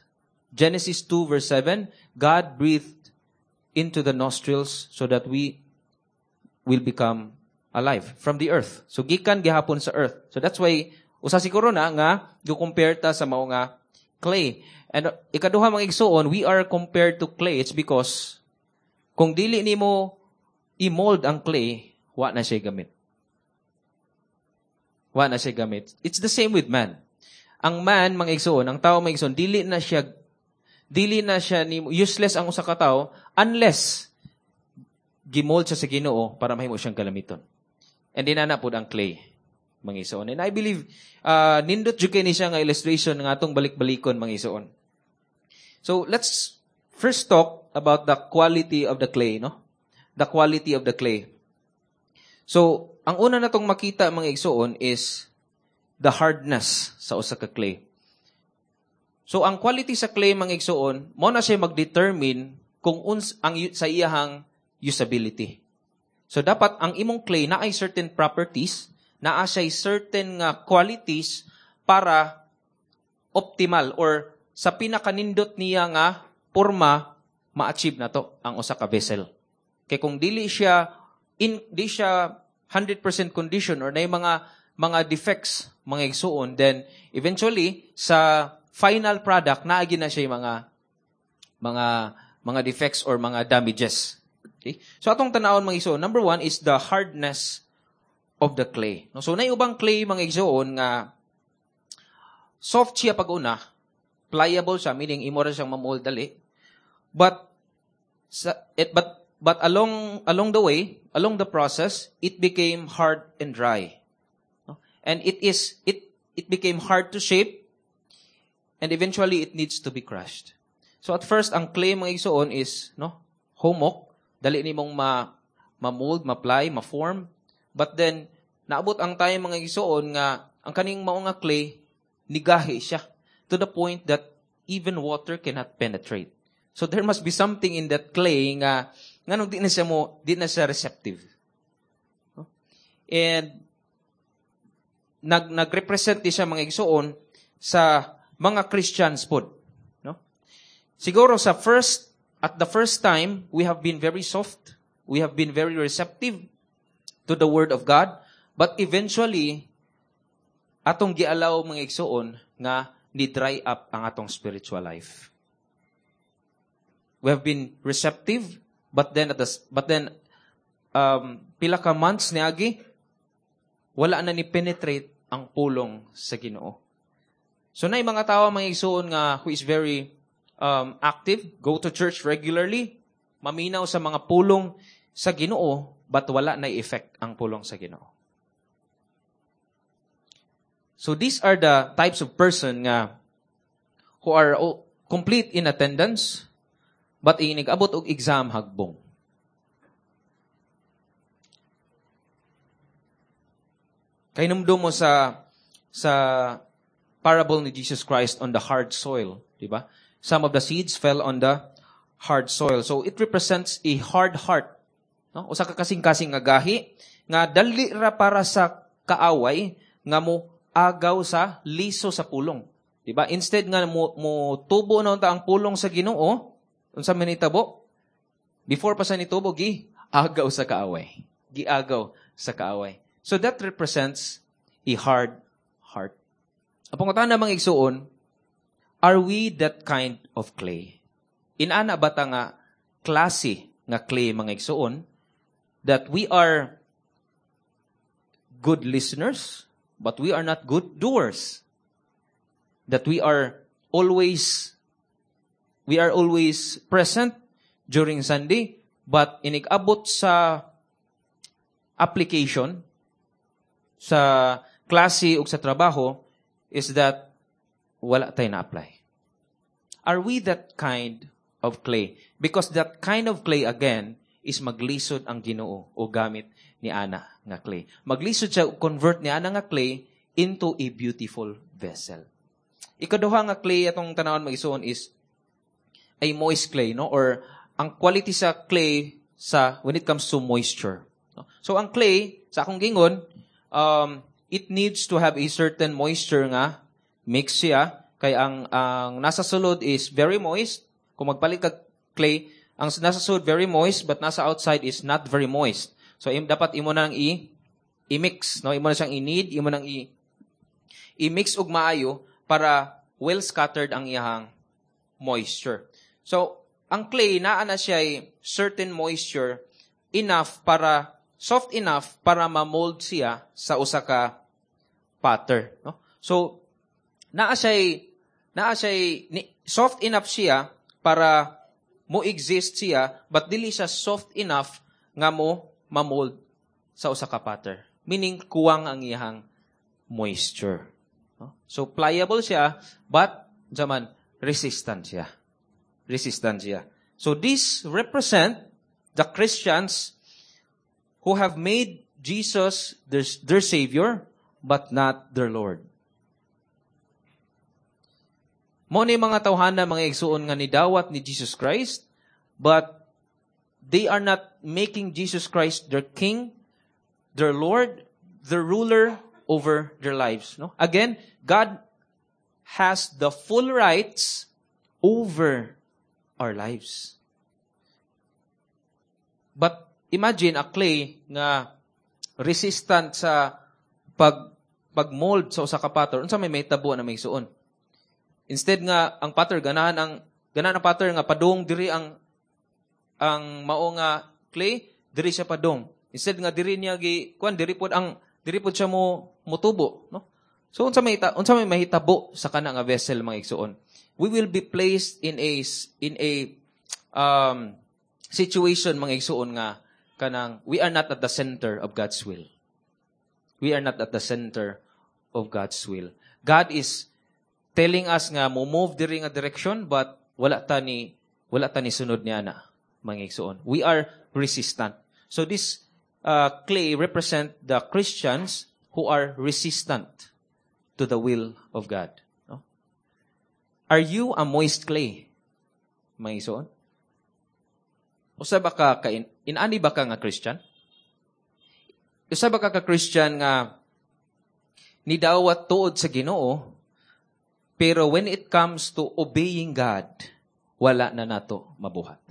Genesis two verse seven, God breathed into the nostrils so that we will become alive from the earth. So gikan gihapon sa earth. So that's why usa siguro na nga go-compare ta sa mao nga clay. And uh, ikaduha mga igsuon, we are compared to clay. It's because kung dili nimo i-mold ang clay, wa na siya gamit. Wa na siya gamit. It's the same with man. Ang man mga igsuon, ang tao mga igsuon, dili na siya dili na siya ni useless ang usa ka tawo unless gimold siya sa Ginoo para mahimo siyang galamiton. And dinana pud ang clay, mga igsoon. And I believe uh, nindot jud kay ni siya nga illustration nga atong balik-balikon mga igsoon. So let's first talk about the quality of the clay, no? The quality of the clay. So, ang una natong makita mga igsoon is the hardness sa usa ka clay. So, ang quality sa clay mga igsoon, mo na siya mag-determine kung uns ang sa iyahang usability. So, dapat ang imong clay naay certain properties, naa siya certain nga qualities para optimal or sa pinakanindot niya nga porma ma-achieve na to ang usa ka vessel. Kay kung dili siya in di siya one hundred percent condition or nay mga mga defects mga igsuon, then eventually sa final product naagi na siya yung mga mga mga defects or mga damages. Okay? So atong tan-awon mga igsuon, number one is the hardness of the clay. No, so nay ubang clay mga igsuon nga soft siya pag una, pliable siya, meaning imo ra siyang mamold dali. But sa, it, but but along along the way, along the process, it became hard and dry. No? And it is it it became hard to shape, and eventually it needs to be crushed. So at first, ang clay mga igsuon is no humok, dali nimong ma ma-mold, ma-ply, ma-form. But then naabot ang time mga igsuon nga ang kaning mao nga clay nigahi siya to the point that even water cannot penetrate. So there must be something in that clay nga nganong di na siya mo di na siya receptive. And nag nagrepresent di siya mga igsuon sa mga Christians pod, no? Siguro sa first at the first time we have been very soft, we have been very receptive to the word of God, but eventually atong gialaw mga igsuon nga ni dry up ang atong spiritual life. We have been receptive, but then at the, but then um, pila ka months niagi wala na ni penetrate ang pulong sa Ginoo. So na mga tao mga igsuon nga who is very um, active, go to church regularly, maminaw sa mga pulong sa Ginoo, but wala na effect ang pulong sa Ginoo. So these are the types of person nga who are complete in attendance, but inig abot og exam hagbong. Kahinumdum mo sa sa parable ni Jesus Christ on the hard soil, di ba? Some of the seeds fell on the hard soil. So it represents a hard heart. No? Usa ka kasing-kasing nga gahi nga dali ra para sa kaaway nga mo agaw sa liso sa pulong. Di ba? Instead nga mo, mo tubo na unta ang pulong sa Ginoo, unsa man nitabo? Before pa sa nitubo gi agaw sa kaaway. Giagaw sa kaaway. So that represents a hard heart. Ang pangutana mga igsuon, are we that kind of clay? Inana ba ta nga klase nga clay mga igsuon that we are good listeners but we are not good doers? That we are always we are always present during Sunday but inig-abot sa application sa klase ug sa trabaho is that wala tayo na-apply. Are we that kind of clay? Because that kind of clay, again, is maglisod ang Ginoo o gamit ni ana nga clay. Maglisod siya convert ni ana nga clay into a beautiful vessel. Ikaduha nga clay atong tanawon mag-isuon is a moist clay, no? Or ang quality sa clay sa when it comes to moisture. No? So ang clay sa akong gingon, um, it needs to have a certain moisture nga mix siya kay ang ang nasa sulod is very moist. Kung magpalit kag clay, ang nasa sulod very moist but nasa outside is not very moist. So im, dapat imo nang i i-mix, no? Imo na siyang i-knead, imo nang i i-mix og maayo para well scattered ang iyang moisture. So ang clay naa na siya certain moisture enough para soft enough para ma-mold siya sa usa ka potter, no? So naa siya naa siya soft enough siya para mo exist siya but dili siya soft enough nga mo ma-mold sa usa ka potter. Meaning kuwang ang iyang moisture, no? So pliable siya but jaman resistant siya. Resistant siya. So this represent the Christians who have made Jesus their, their Savior, but not their Lord. Mo ni mga tawhana, mga igsuon nga nidawat ni Jesus Christ, but they are not making Jesus Christ their King, their Lord, their ruler over their lives. No? Again, God has the full rights over our lives. But imagine a clay nga resistant sa pag pag-mold sa usa ka potter, unsa may mahitabo na may suon. Instead nga ang potter ganahan ang ganahan ang potter nga padung diri ang ang mao nga clay, diri siya padung. Instead nga diri niya gi kuan diri pod ang diri pod siya mo motubo, no? So unsa may unsa may mahitabo sa kana nga vessel mga igsuon? We will be placed in a in a um situation mga igsuon nga kanang we are not at the center of God's will. We are not at the center of God's will. God is telling us nga mo move diri nga direction but wala ta ni wala ta ni sunod niya na. mga igsoon. We are resistant. So this uh, clay represent the Christians who are resistant to the will of God. No? Are you a moist clay? Mga igsoon? Usa ba ka, ka in, inani ba ka nga Christian? Usa ba ka ka Christian nga nidawat tuod sa Ginoo, pero when it comes to obeying God, wala na nato mabuhat?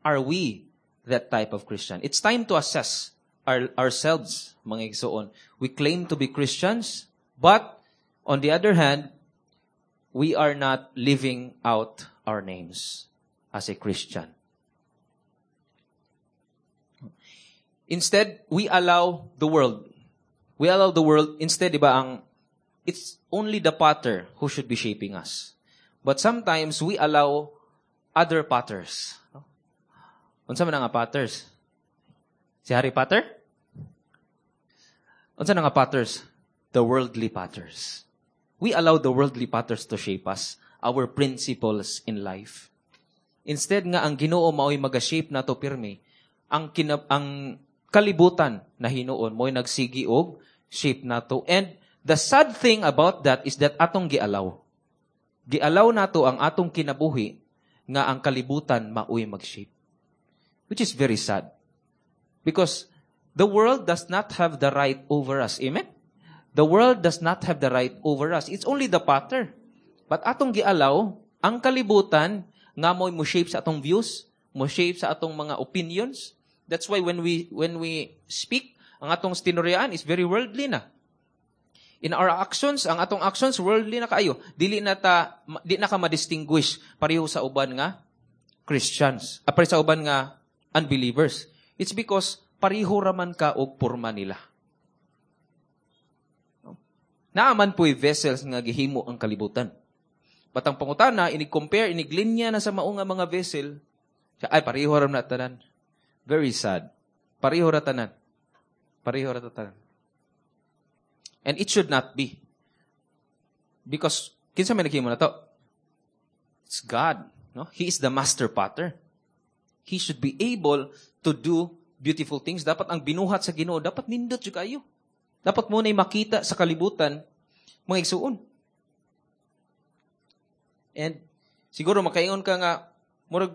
Are we that type of Christian? It's time to assess our, ourselves, mga igsoon. We claim to be Christians, but on the other hand, we are not living out our names as a Christian. Instead, we allow the world. We allow the world, instead, di ba, ang, it's only the potter who should be shaping us. But sometimes, we allow other potters. Unsa man nga potters? Si Harry Potter? Unsa na nga potters? The worldly potters. We allow the worldly potters to shape us, our principles in life. Instead nga ang Ginoo mao'y maga-shape nato pirmi, ang kina, ang kalibutan na hinuon mo'y nagsigi og shape nato. And the sad thing about that is that atong gialaw. Gialaw nato ang atong kinabuhi nga ang kalibutan mao'y mag-shape. Which is very sad. Because the world does not have the right over us. Amen? The world does not have the right over us. It's only the potter. But atong gialaw, ang kalibutan nga mo'y mo shape sa atong views, mo shape sa atong mga opinions. That's why when we when we speak, ang atong tinuryaan is very worldly na. In our actions, ang atong actions worldly na kaayo. Dili na ta di na ka ma-distinguish pareho sa uban nga Christians. Ah, pareho sa uban nga unbelievers. It's because pareho raman ka og porma nila. Naaman po'y vessels nga gihimo ang kalibutan. But ang pangutana, inig-compare, inig-linya na sa mao nga mga vessel, ay, pareho ra na tanan. Very sad. Pareho ra tanan. Pareho ra tanan. And it should not be. Because, kinsa may naghimo na to? It's God. No? He is the master potter. He should be able to do beautiful things. Dapat ang binuhat sa Ginoo, dapat nindot jud kayo. Dapat mo na makita sa kalibutan mga igsuon. And siguro makaingon ka nga murag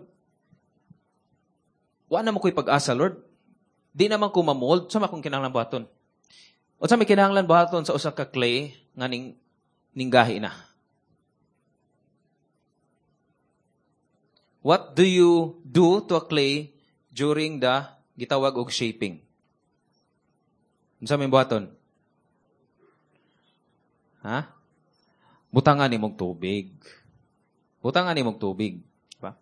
wa na mo ko'y pag-asa, Lord. Di naman ko ma-mold sa akong kinahanglan buhaton. Unsa may kinahanglan buhaton sa usa ka clay nga ning ninggahi na? What do you do to a clay during the gitawag og shaping? Unsa may buhaton? Ha? Butangan nimong tubig. Butangan nimong tubig. Diba?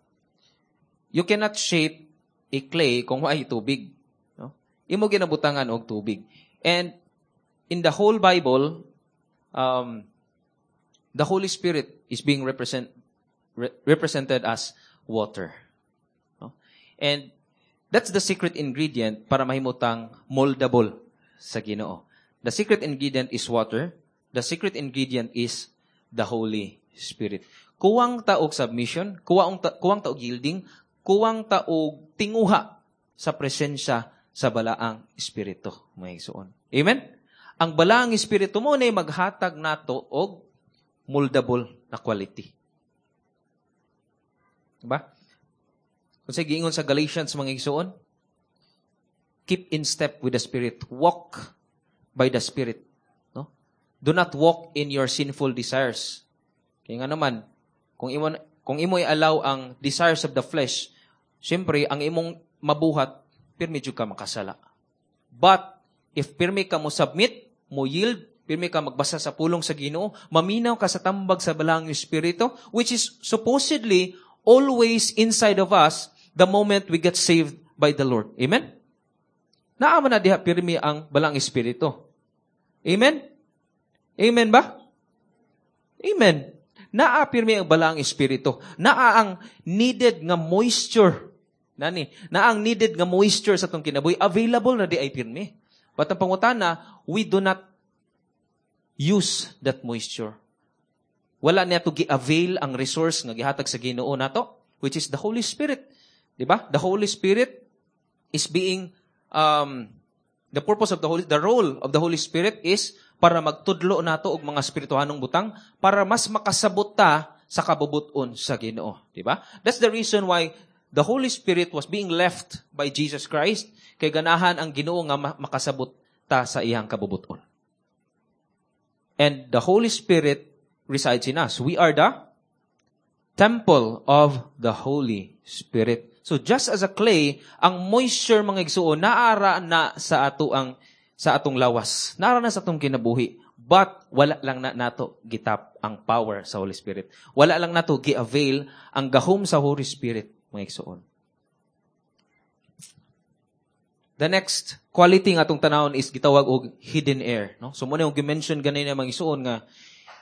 You cannot shape a clay kung waay tubig. No? Imo ginabutangan og tubig. And in the whole Bible, um, the Holy Spirit is being represent, re- represented as water. No? And that's the secret ingredient para mahimutang moldable sa Ginoo. The secret ingredient is water. The secret ingredient is the Holy Spirit. Kuwang ta og submission, kuwang ta, kuwang ta og yielding, kuwang ta og tinguha sa presensya sa balaang Espiritu, mga igsoon. Amen? Ang balaang Espiritu mo na maghatag nato og moldable na quality. Diba? Kung sa giingon sa Galatians, mga igsoon, keep in step with the Spirit. Walk by the Spirit. No? Do not walk in your sinful desires. Kaya nga naman, kung imo, kung imo i-allow ang desires of the flesh, siyempre, ang imong mabuhat, pirmi jud ka makasala. But, if pirmi ka mo submit, mo yield, pirmi ka magbasa sa pulong sa Ginoo, maminaw ka sa tambag sa balaang Espiritu, which is supposedly always inside of us the moment we get saved by the Lord. Amen? Naa man na diha pirmi ang balaang Espiritu. Amen? Amen ba? Amen. Naa pirmi ang balaang Espiritu. Naa ang needed nga moisture. Nani, naa ang needed nga moisture sa atong kinabuhi. Available na di ay pirmi. But ang pangutana, we do not use that moisture. Wala niya to gi-avail ang resource nga gihatag sa Ginoo nato. which is the Holy Spirit. Di ba? The Holy Spirit is being, um, the purpose of the Holy, the role of the Holy Spirit is para magtudlo nato og mga espirituhanong butang para mas makasabot ta sa kabubuton sa Ginoo, di ba? That's the reason why the Holy Spirit was being left by Jesus Christ kay ganahan ang Ginoo nga makasabot ta sa iyang kabubuton. And the Holy Spirit resides in us. We are the temple of the Holy Spirit. So just as a clay, ang moisture mga igsuon naara na sa ato ang sa atong lawas. Naara na sa atong kinabuhi. But wala lang na nato gi-tap ang power sa Holy Spirit. Wala lang nato gi-avail ang gahom sa Holy Spirit, mga igsuon. The next quality nga atong tanawon is gitawag og hidden air, no? So mo na yung gi-mention ganina mga igsuon nga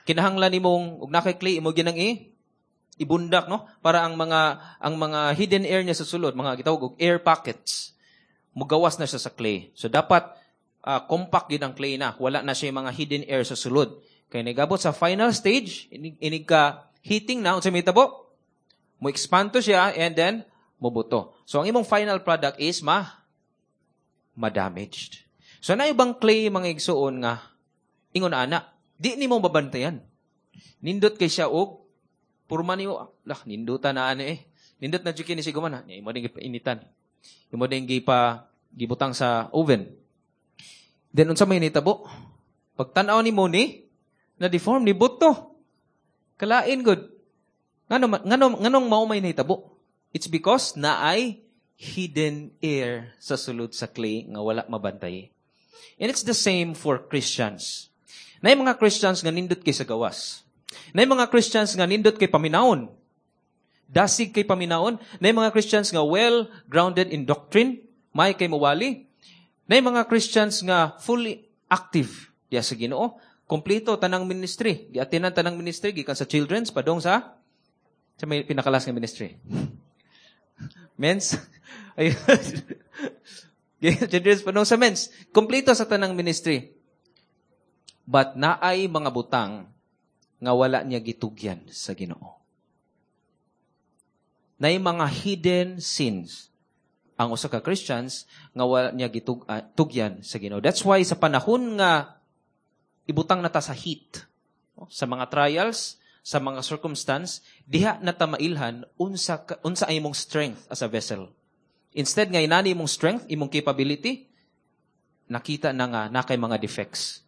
kinahanglan nimong og nakay clay imo ginang i ibundak no para ang mga ang mga hidden air niya sa sulod, mga gitawag og air pockets, mugawas na siya sa clay. So dapat uh, compact gid ang clay na, wala na siya mga hidden air sa sulod. Kay nigabot sa final stage, inig, inig ka heating na unsa may tabo? Mo expand to siya and then mobuto. So ang imong final product is ma ma-damaged. So na ibang clay mga igsuon nga ingon ana, di nimo mabantayan. Nindot kay siya og purma nimo, lah ninduta na ani eh. Nindot na jud kini si guman, imo ding initan. Imo ding gipa gibutang sa oven. Then unsa may nitabo? Pagtan-aw nimo ni na deform ni buto. Kalain gud. Ngano ngano nganong mao may nahitabo? It's because naay hidden air sa sulod sa clay nga wala mabantay. And it's the same for Christians. Naay mga Christians nga nindot kay sa gawas. Naay mga Christians nga nindot kay paminawon. Dasig kay paminawon. Naay mga Christians nga well grounded in doctrine, may kay mawali. Naay mga Christians nga fully active diya sa Ginoo. Kompleto tanang ministry. Giatinan tanang ministry gikan sa children's padong sa sa may pinakalas nga ministry. Men's. Ayun. Children's padong sa men's. Kompleto sa tanang ministry. But naay mga butang nga wala niya gitugyan sa Ginoo. Naay mga hidden sins ang usa ka Christians nga wala niya gitug uh, tugyan sa Ginoo. That's why sa panahon nga ibutang na ta sa heat, sa mga trials, sa mga circumstance, diha na ta mailhan unsa unsa ay imong strength as a vessel. Instead nga inani imong strength, imong capability, nakita na nga na kay mga defects.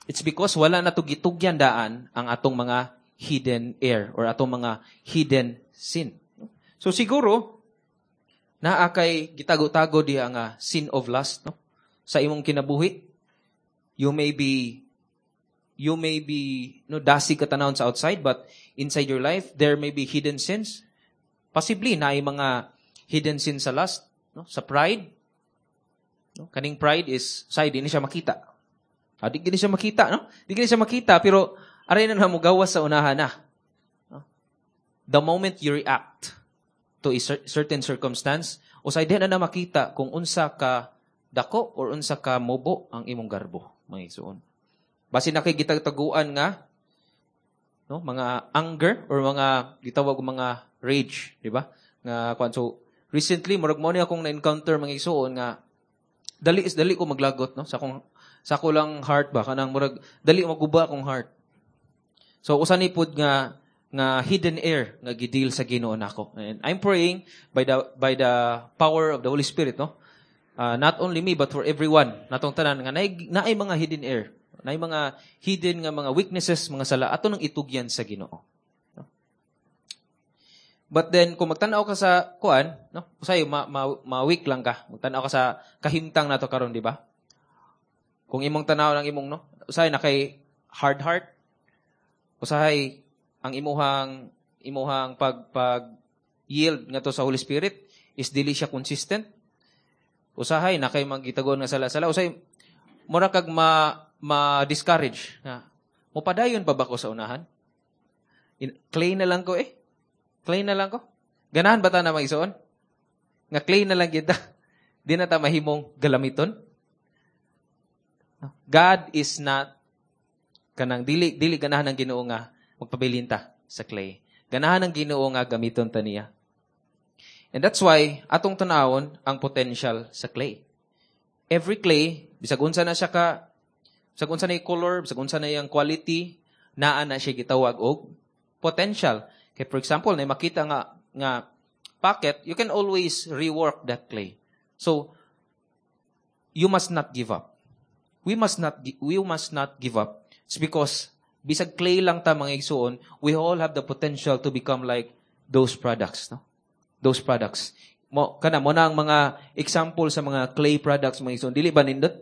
It's because wala na to gitugyan daan ang atong mga hidden air or atong mga hidden sin. So siguro naa kay gitago-tago diha nga sin of lust, no? Sa imong kinabuhi, you may be you may be no dasig ka tanawon sa outside but inside your life there may be hidden sins. Possibly naay mga hidden sin sa lust, no? Sa pride. No? Kaning pride is side di ni siya makita. Ah, di gini siya makita, no? Di gini siya makita pero aray na na mo gawas sa unahan na. No? The moment you react to a certain circumstance, usay di na na makita kung unsa ka dako or unsa ka mobo ang imong garbo, mga igsuon. Basi na kay gitagtaguan nga no, mga anger or mga gitawag og mga rage, di ba? Nga kwan so recently murag mo ni akong na-encounter mga igsuon nga dali is dali ko maglagot no sa akong sa ako lang heart ba kanang murag dali maguba akong heart. So usa ni pud nga nga hidden air nga gi-deal sa Ginoo nako. And I'm praying by the by the power of the Holy Spirit no. Uh, not only me but for everyone natong tanan nga naay, naay mga hidden air, naay mga hidden nga mga weaknesses, mga sala ato nang itugyan sa Ginoo. No? But then kung magtan-aw ka sa kuan, no, usahay ma, ma, ma-weak lang ka. Magtan-aw ka sa kahimtang nato karon, di ba? Kung imong tanaw ng imong no, usahay na kay hard heart, usahay ang imuhang imuhang pag pag yield ngadto sa Holy Spirit is dili siya consistent. Usahay na kay magitagon nga sala-sala, usahay mura kag ma ma-discourage nga mopadayon pa ba ko sa unahan? In, clay na lang ko eh. Clay na lang ko. Ganahan ba ta na mag-isuon? Nga clay na lang kita. Di na ta mahimong galamiton. God is not kanang dili dili ganahan ng Ginoo nga magpabilin ta sa clay. Ganahan ang Ginoo nga gamiton ta niya. And that's why atong tanawon ang potential sa clay. Every clay, bisag unsa na siya ka, bisag unsa na yung color, bisag unsa na yung quality, naa na siya gitawag og potential. Kay for example, na makita nga nga pocket, you can always rework that clay. So you must not give up. We must not we must not give up. It's because bisag clay lang ta mga igsuon, we all have the potential to become like those products, no? Those products. Mo kana mo na ang mga example sa mga clay products mga igsuon. Dili ba nindot?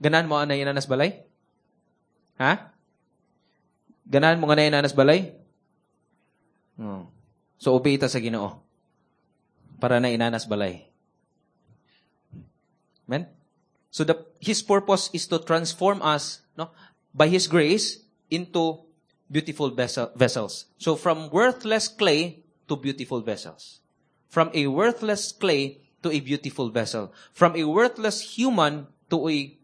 Ganahan mo anay inanas balay? Ha? Ganahan mo nga inanas balay? Oh. So obey ta sa Ginoo para na inanas balay. Amen? So the his purpose is to transform us, no, by his grace into beautiful vessel, vessels. So from worthless clay to beautiful vessels. From a worthless clay to a beautiful vessel. From a worthless human to a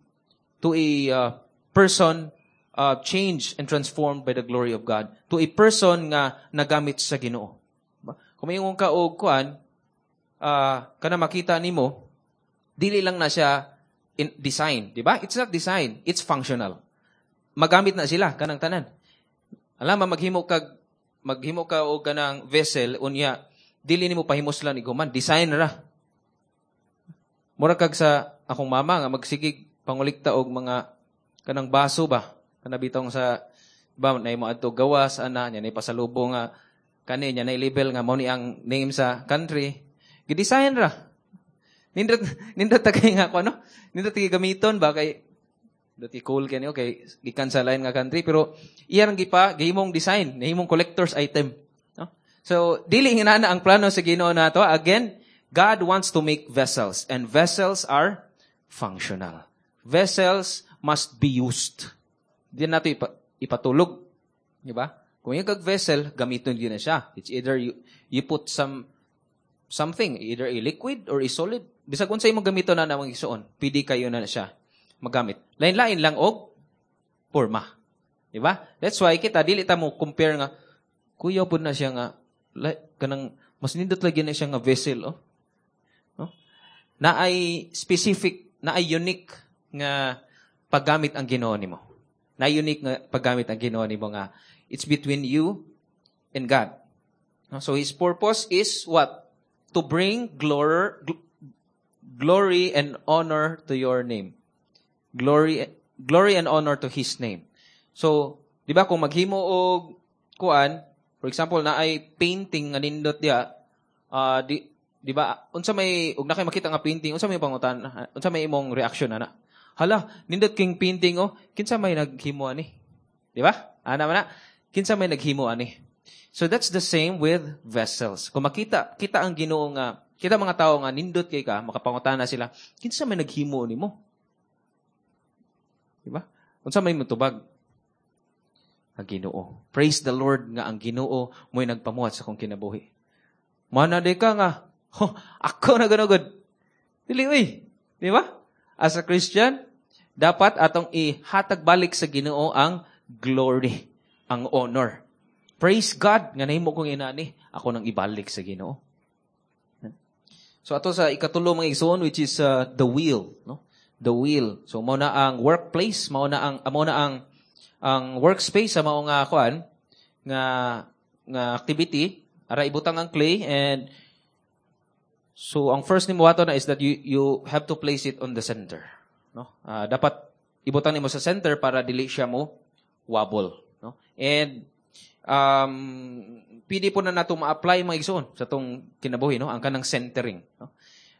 to a uh, person uh, changed and transformed by the glory of God. To a person nga nagamit sa Ginoo. Kung mayingon ka og kuan, uh, kana makita nimo, dili lang na siya in design, di ba? It's not design, it's functional. Magamit na sila kanang tanan. Alam mo maghimo kag maghimo ka og kanang vessel unya dili nimo pahimuslan iguman, design ra. Mura kag sa akong mama nga magsigig pangulikta og mga kanang baso ba kana bitong sa ba nay mo adto gawas ana nya nay pasalubong nga kani nya nay label nga mao ni ang name sa country gi-design ra nindot nindot ta kay nga ko ano nindot kay gamiton ba kay dati cool kani okay gikan sa lain nga country pero iya rang gipa gihimong design nahimong collector's item no so dili nga na ang plano sa Ginoo nato again God wants to make vessels and vessels are functional vessels must be used di nato ipa, ipatulog di ba kung yung kag vessel gamiton gyud na siya it's either you you put some something either a liquid or a solid bisag unsa imong gamiton na namang isuon pwede kayo na siya magamit lain-lain lang og porma di ba that's why kita dili ta mo compare nga kuya pud na siya nga like, kanang mas nindot lagi na siya nga vessel oh no na ay specific na ay unique nga paggamit ang Ginoo nimo na unique nga paggamit ang Ginoo nimo nga it's between you and God no? so his purpose is what to bring glory glory and honor to your name glory glory and honor to his name so di ba kung maghimo og kuan for example na ay painting nga nindot diya uh, di di ba unsa may ug na kay makita nga painting unsa may pangutan unsa may imong reaction ana hala nindot king painting oh kinsa may naghimo ani di ba ana man na kinsa may naghimo ani so that's the same with vessels kung makita kita ang Ginoo nga kita mga tao nga nindot kay ka makapangutana sila kinsa may naghimo nimo di ba unsa may mutubag ang Ginoo praise the Lord nga ang Ginoo mo'y nagpamuhat sa akong kinabuhi mana di ka nga ho, ako na ganugod dili uy di ba as a Christian dapat atong ihatag balik sa Ginoo ang glory ang honor praise God nga nahimo kong inani ako nang ibalik sa Ginoo so ato sa ikatulo mga igsoon which is uh, the wheel no the wheel so mao na ang workplace mao na ang mao na ang ang workspace sa mao nga kuan nga nga activity ara ibutang ang clay and so ang first nimo ato na is that you you have to place it on the center no uh, dapat ibutang nimo sa center para dili siya mo wobble no and um pwede po na nato ma-apply mga igsoon sa tong kinabuhi no ang kanang centering no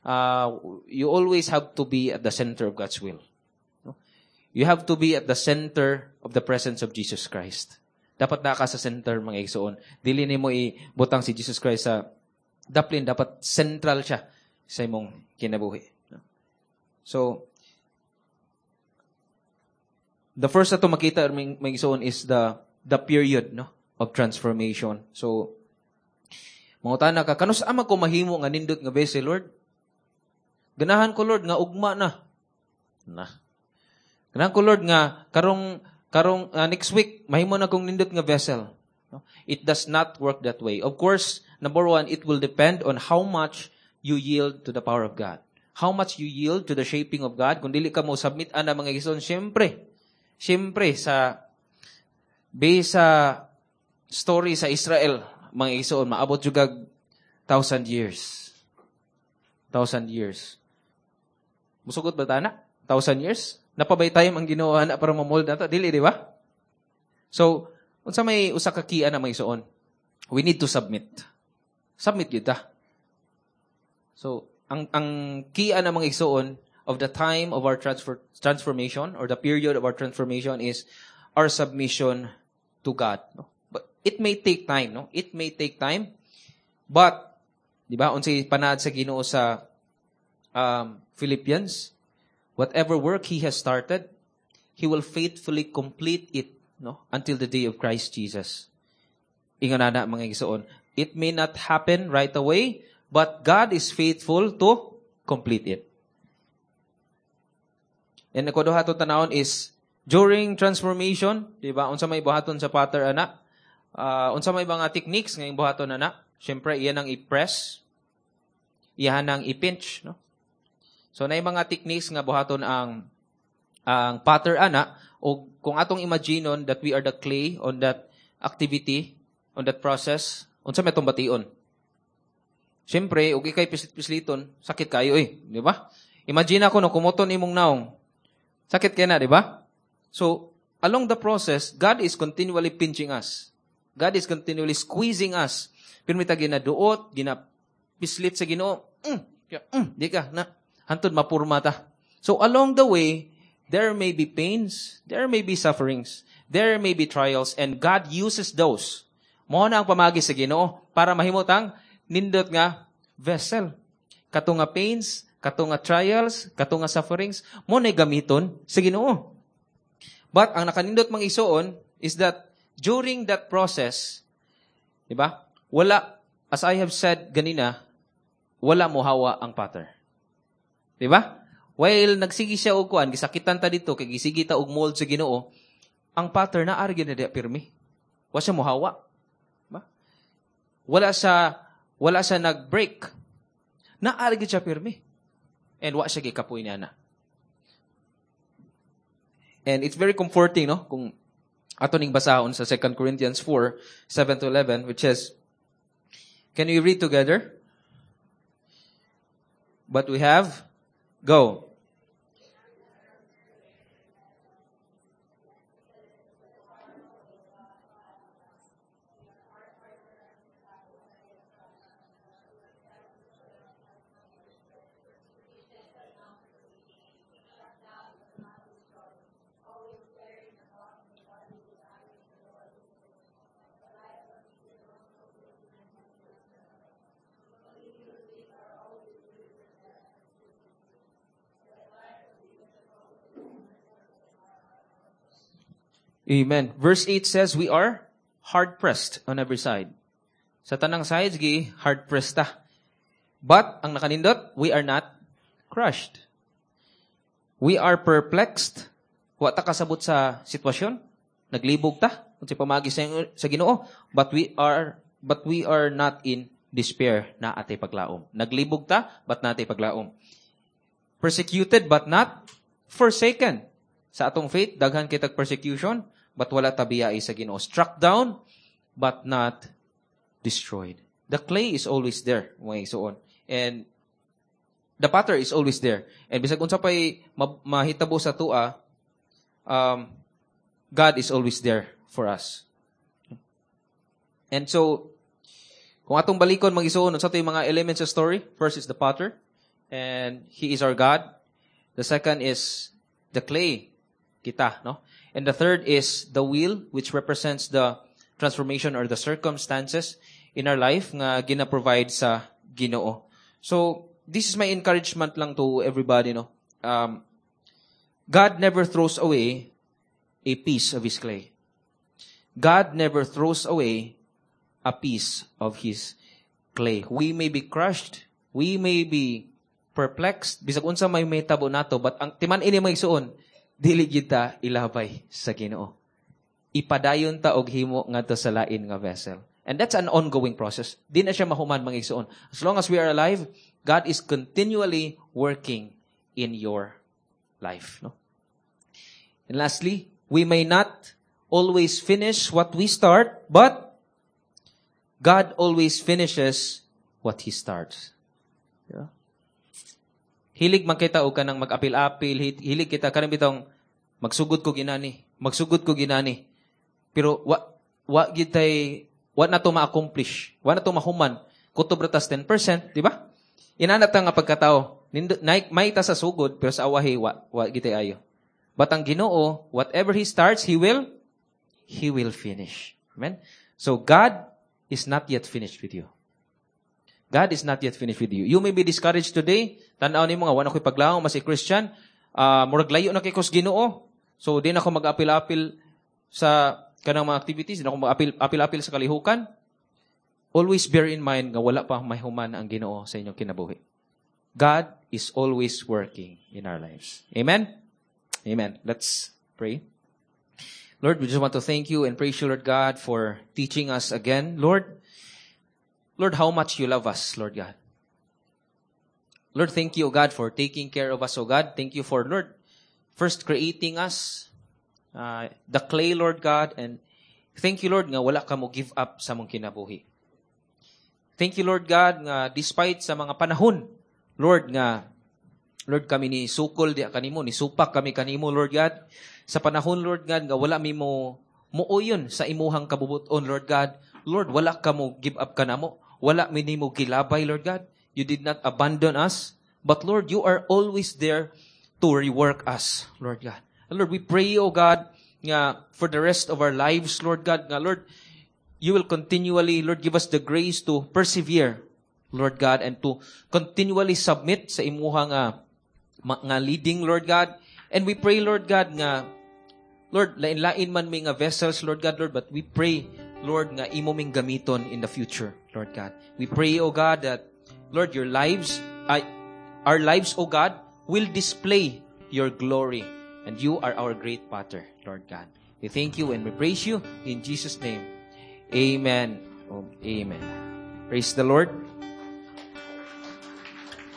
uh, you always have to be at the center of God's will no you have to be at the center of the presence of Jesus Christ dapat na ka sa center mga igsoon dili nimo ibutang si Jesus Christ sa daplin dapat central siya sa imong kinabuhi no? so the first ato makita mga igsoon is the the period no of transformation. So mangutana ka kanus ama ko mahimo nga nindot nga vessel Lord? Ganahan ko Lord nga ugma na. Na. Ganahan ko Lord nga karong karong uh, next week mahimo na kong nindot nga vessel. No? It does not work that way. Of course, number one, it will depend on how much you yield to the power of God. How much you yield to the shaping of God. Kung dili ka mo submit ana mga igsoon, syempre, syempre sa base sa story sa Israel, mga igsoon, maabot jud thousand years. Thousand years. Musugot ba ta na? Thousand years? Naa pa bay time ang Ginoo ana para ma-mold nato? Dili, di ba? So, unsa may usa ka key ana mga igsoon? We need to submit. Submit gyud ta. So, ang ang key ana mga igsoon of the time of our transfer, transformation or the period of our transformation is our submission to God. No? But it may take time, no? It may take time. But, di ba, unsay panaad sa Ginoo sa um, Philippians, whatever work He has started, He will faithfully complete it, no, until the day of Christ Jesus. Ingon na mga igsoon. It may not happen right away, but God is faithful to complete it. And ikaduha to tanawon is during transformation, di ba? Unsa may buhaton sa potter ana? Uh, unsa may mga techniques nga buhaton ana? Syempre iyan ang i-press, iyan ang i-pinch, no? So naay mga techniques nga buhaton ang ang potter ana o kung atong imagineon that we are the clay on that activity, on that process, unsa may atong bation? Siyempre, ug ikay pislit-pisliton, sakit kayo eh, di ba? Imagine ako no kumuton imong naong. Sakit kay na, di ba? So, along the process, God is continually pinching us. God is continually squeezing us. Pero may ginaduot, ginapislit sa Ginoo. Mm, mm, di ka na hantod mapurma ta. So along the way, there may be pains, there may be sufferings, there may be trials, and God uses those. Mao na ang pamagi sa Ginoo para mahimot ang nindot nga vessel. Kato nga pains, kato nga trials, kato nga sufferings, mao na gamiton sa Ginoo. But ang nakanindot mga igsoon is that during that process, di ba? Wala, as I have said ganina, wala mohawa ang potter. Di ba? While nagsige siya og kuan, gisakitan ta dito kay gisige ta og mold sa Ginoo, ang potter naa ra gyud na diya pirmi. Wa siya mohawa. Ba? Wala siya wala siya nag-break. Naa ra gyud siya pirmi. And wa siya gikapoy niya na. And it's very comforting, no? Kung ato ning basahon sa Second Corinthians four, seven to eleven, which says, can we read together? But we have, go. Amen. Verse eight says, we are hard-pressed on every side. Sa tanang sides, gi, hard-pressed ta. But, ang nakanindot, we are not crushed. We are perplexed. Wa ta kasabot sa sitwasyon. Naglibog ta. Unsay pamagi sa, sa Ginoo. But we are, but we are not in despair na atay paglaom. Naglibog ta, but natay paglaom. Persecuted, but not forsaken. Sa atong faith, daghan kitag persecution, but wala tabiyai sa Ginoo. Struck down, but not destroyed. The clay is always there, mga igsoon. And the potter is always there. And bisag unsa pay mahitabo sa tua, um, God is always there for us. And so, kung atong balikon mga igsoon, unsa to'y mga elements sa story? First is the potter, and He is our God. The second is the clay, kita, no? And the third is the wheel, which represents the transformation or the circumstances in our life nga gina-provide sa Ginoo. So, this is my encouragement lang to everybody, no? Um, God never throws away a piece of His clay. God never throws away a piece of His clay. We may be crushed, we may be perplexed, bisag unsa may mahitabo nato, but ang timan ini mga igsoon, dili gyud ta ilabay sa Ginoo. Ipadayon ta og himo ngadto sa lain nga vessel. And that's an ongoing process. Di na siya mahuman mga igsoon. As long as we are alive, God is continually working in your life. No? And lastly, we may not always finish what we start, but God always finishes what He starts. Yeah? Hilig man kita og kanang mag-apil-apil, hilig kita kanang bitong magsugod ko ginani, magsugod ko ginani. Pero wa wa gitay wa na to ma-accomplish, wa na to mahuman. Kutob ra tas ten percent, di ba? Inana ta nga pagkatao. Nindo, may ta sa sugod pero sa awahi wa wa gitay ayo. But ang Ginoo, whatever He starts, He will He will finish. Amen. So God is not yet finished with you. God is not yet finished with you. You may be discouraged today. Tan-aw nimo nga wala ko'y paglaom as a Christian. Uh, murag layo na kay kos Ginoo. So di na ako mag-apil-apil sa kanang mga activities, di na ako mag-apil-apil sa kalihukan. Always bear in mind nga wala pa mahuman ang Ginoo sa inyong kinabuhi. God is always working in our lives. Amen? Amen. Let's pray. Lord, we just want to thank you and praise you, Lord God, for teaching us again. Lord, Lord, how much you love us, Lord God. Lord, thank you, O God, for taking care of us, O God. Thank you for, Lord, first creating us, uh, the clay, Lord God, and thank you, Lord, nga wala ka mo give up sa among kinabuhi. Thank you, Lord God, nga despite sa mga panahon, Lord, nga, Lord, kami ni sukol diha kanimo, ni supak kami kanimo, Lord God. Sa panahon, Lord God, nga wala mi mo muuyon sa imuhang kabubuton, Lord God. Lord, wala ka mo give up kanamo. Wala mi nimo gilabay, Lord God. You did not abandon us. But Lord, you are always there to rework us, Lord God. And Lord, we pray, O God, nga for the rest of our lives, Lord God, nga Lord, you will continually, Lord, give us the grace to persevere, Lord God, and to continually submit sa imuha nga, nga leading, Lord God. And we pray, Lord God, nga, Lord, lain-lain man mi nga vessels, Lord God, Lord, but we pray, Lord, nga imo ming gamiton in the future, Lord God. We pray, O God, that, Lord, your lives, uh, our lives, O God, will display your glory. And you are our great potter, Lord God. We thank you and we praise you in Jesus' name. Amen. Oh, amen. Praise the Lord.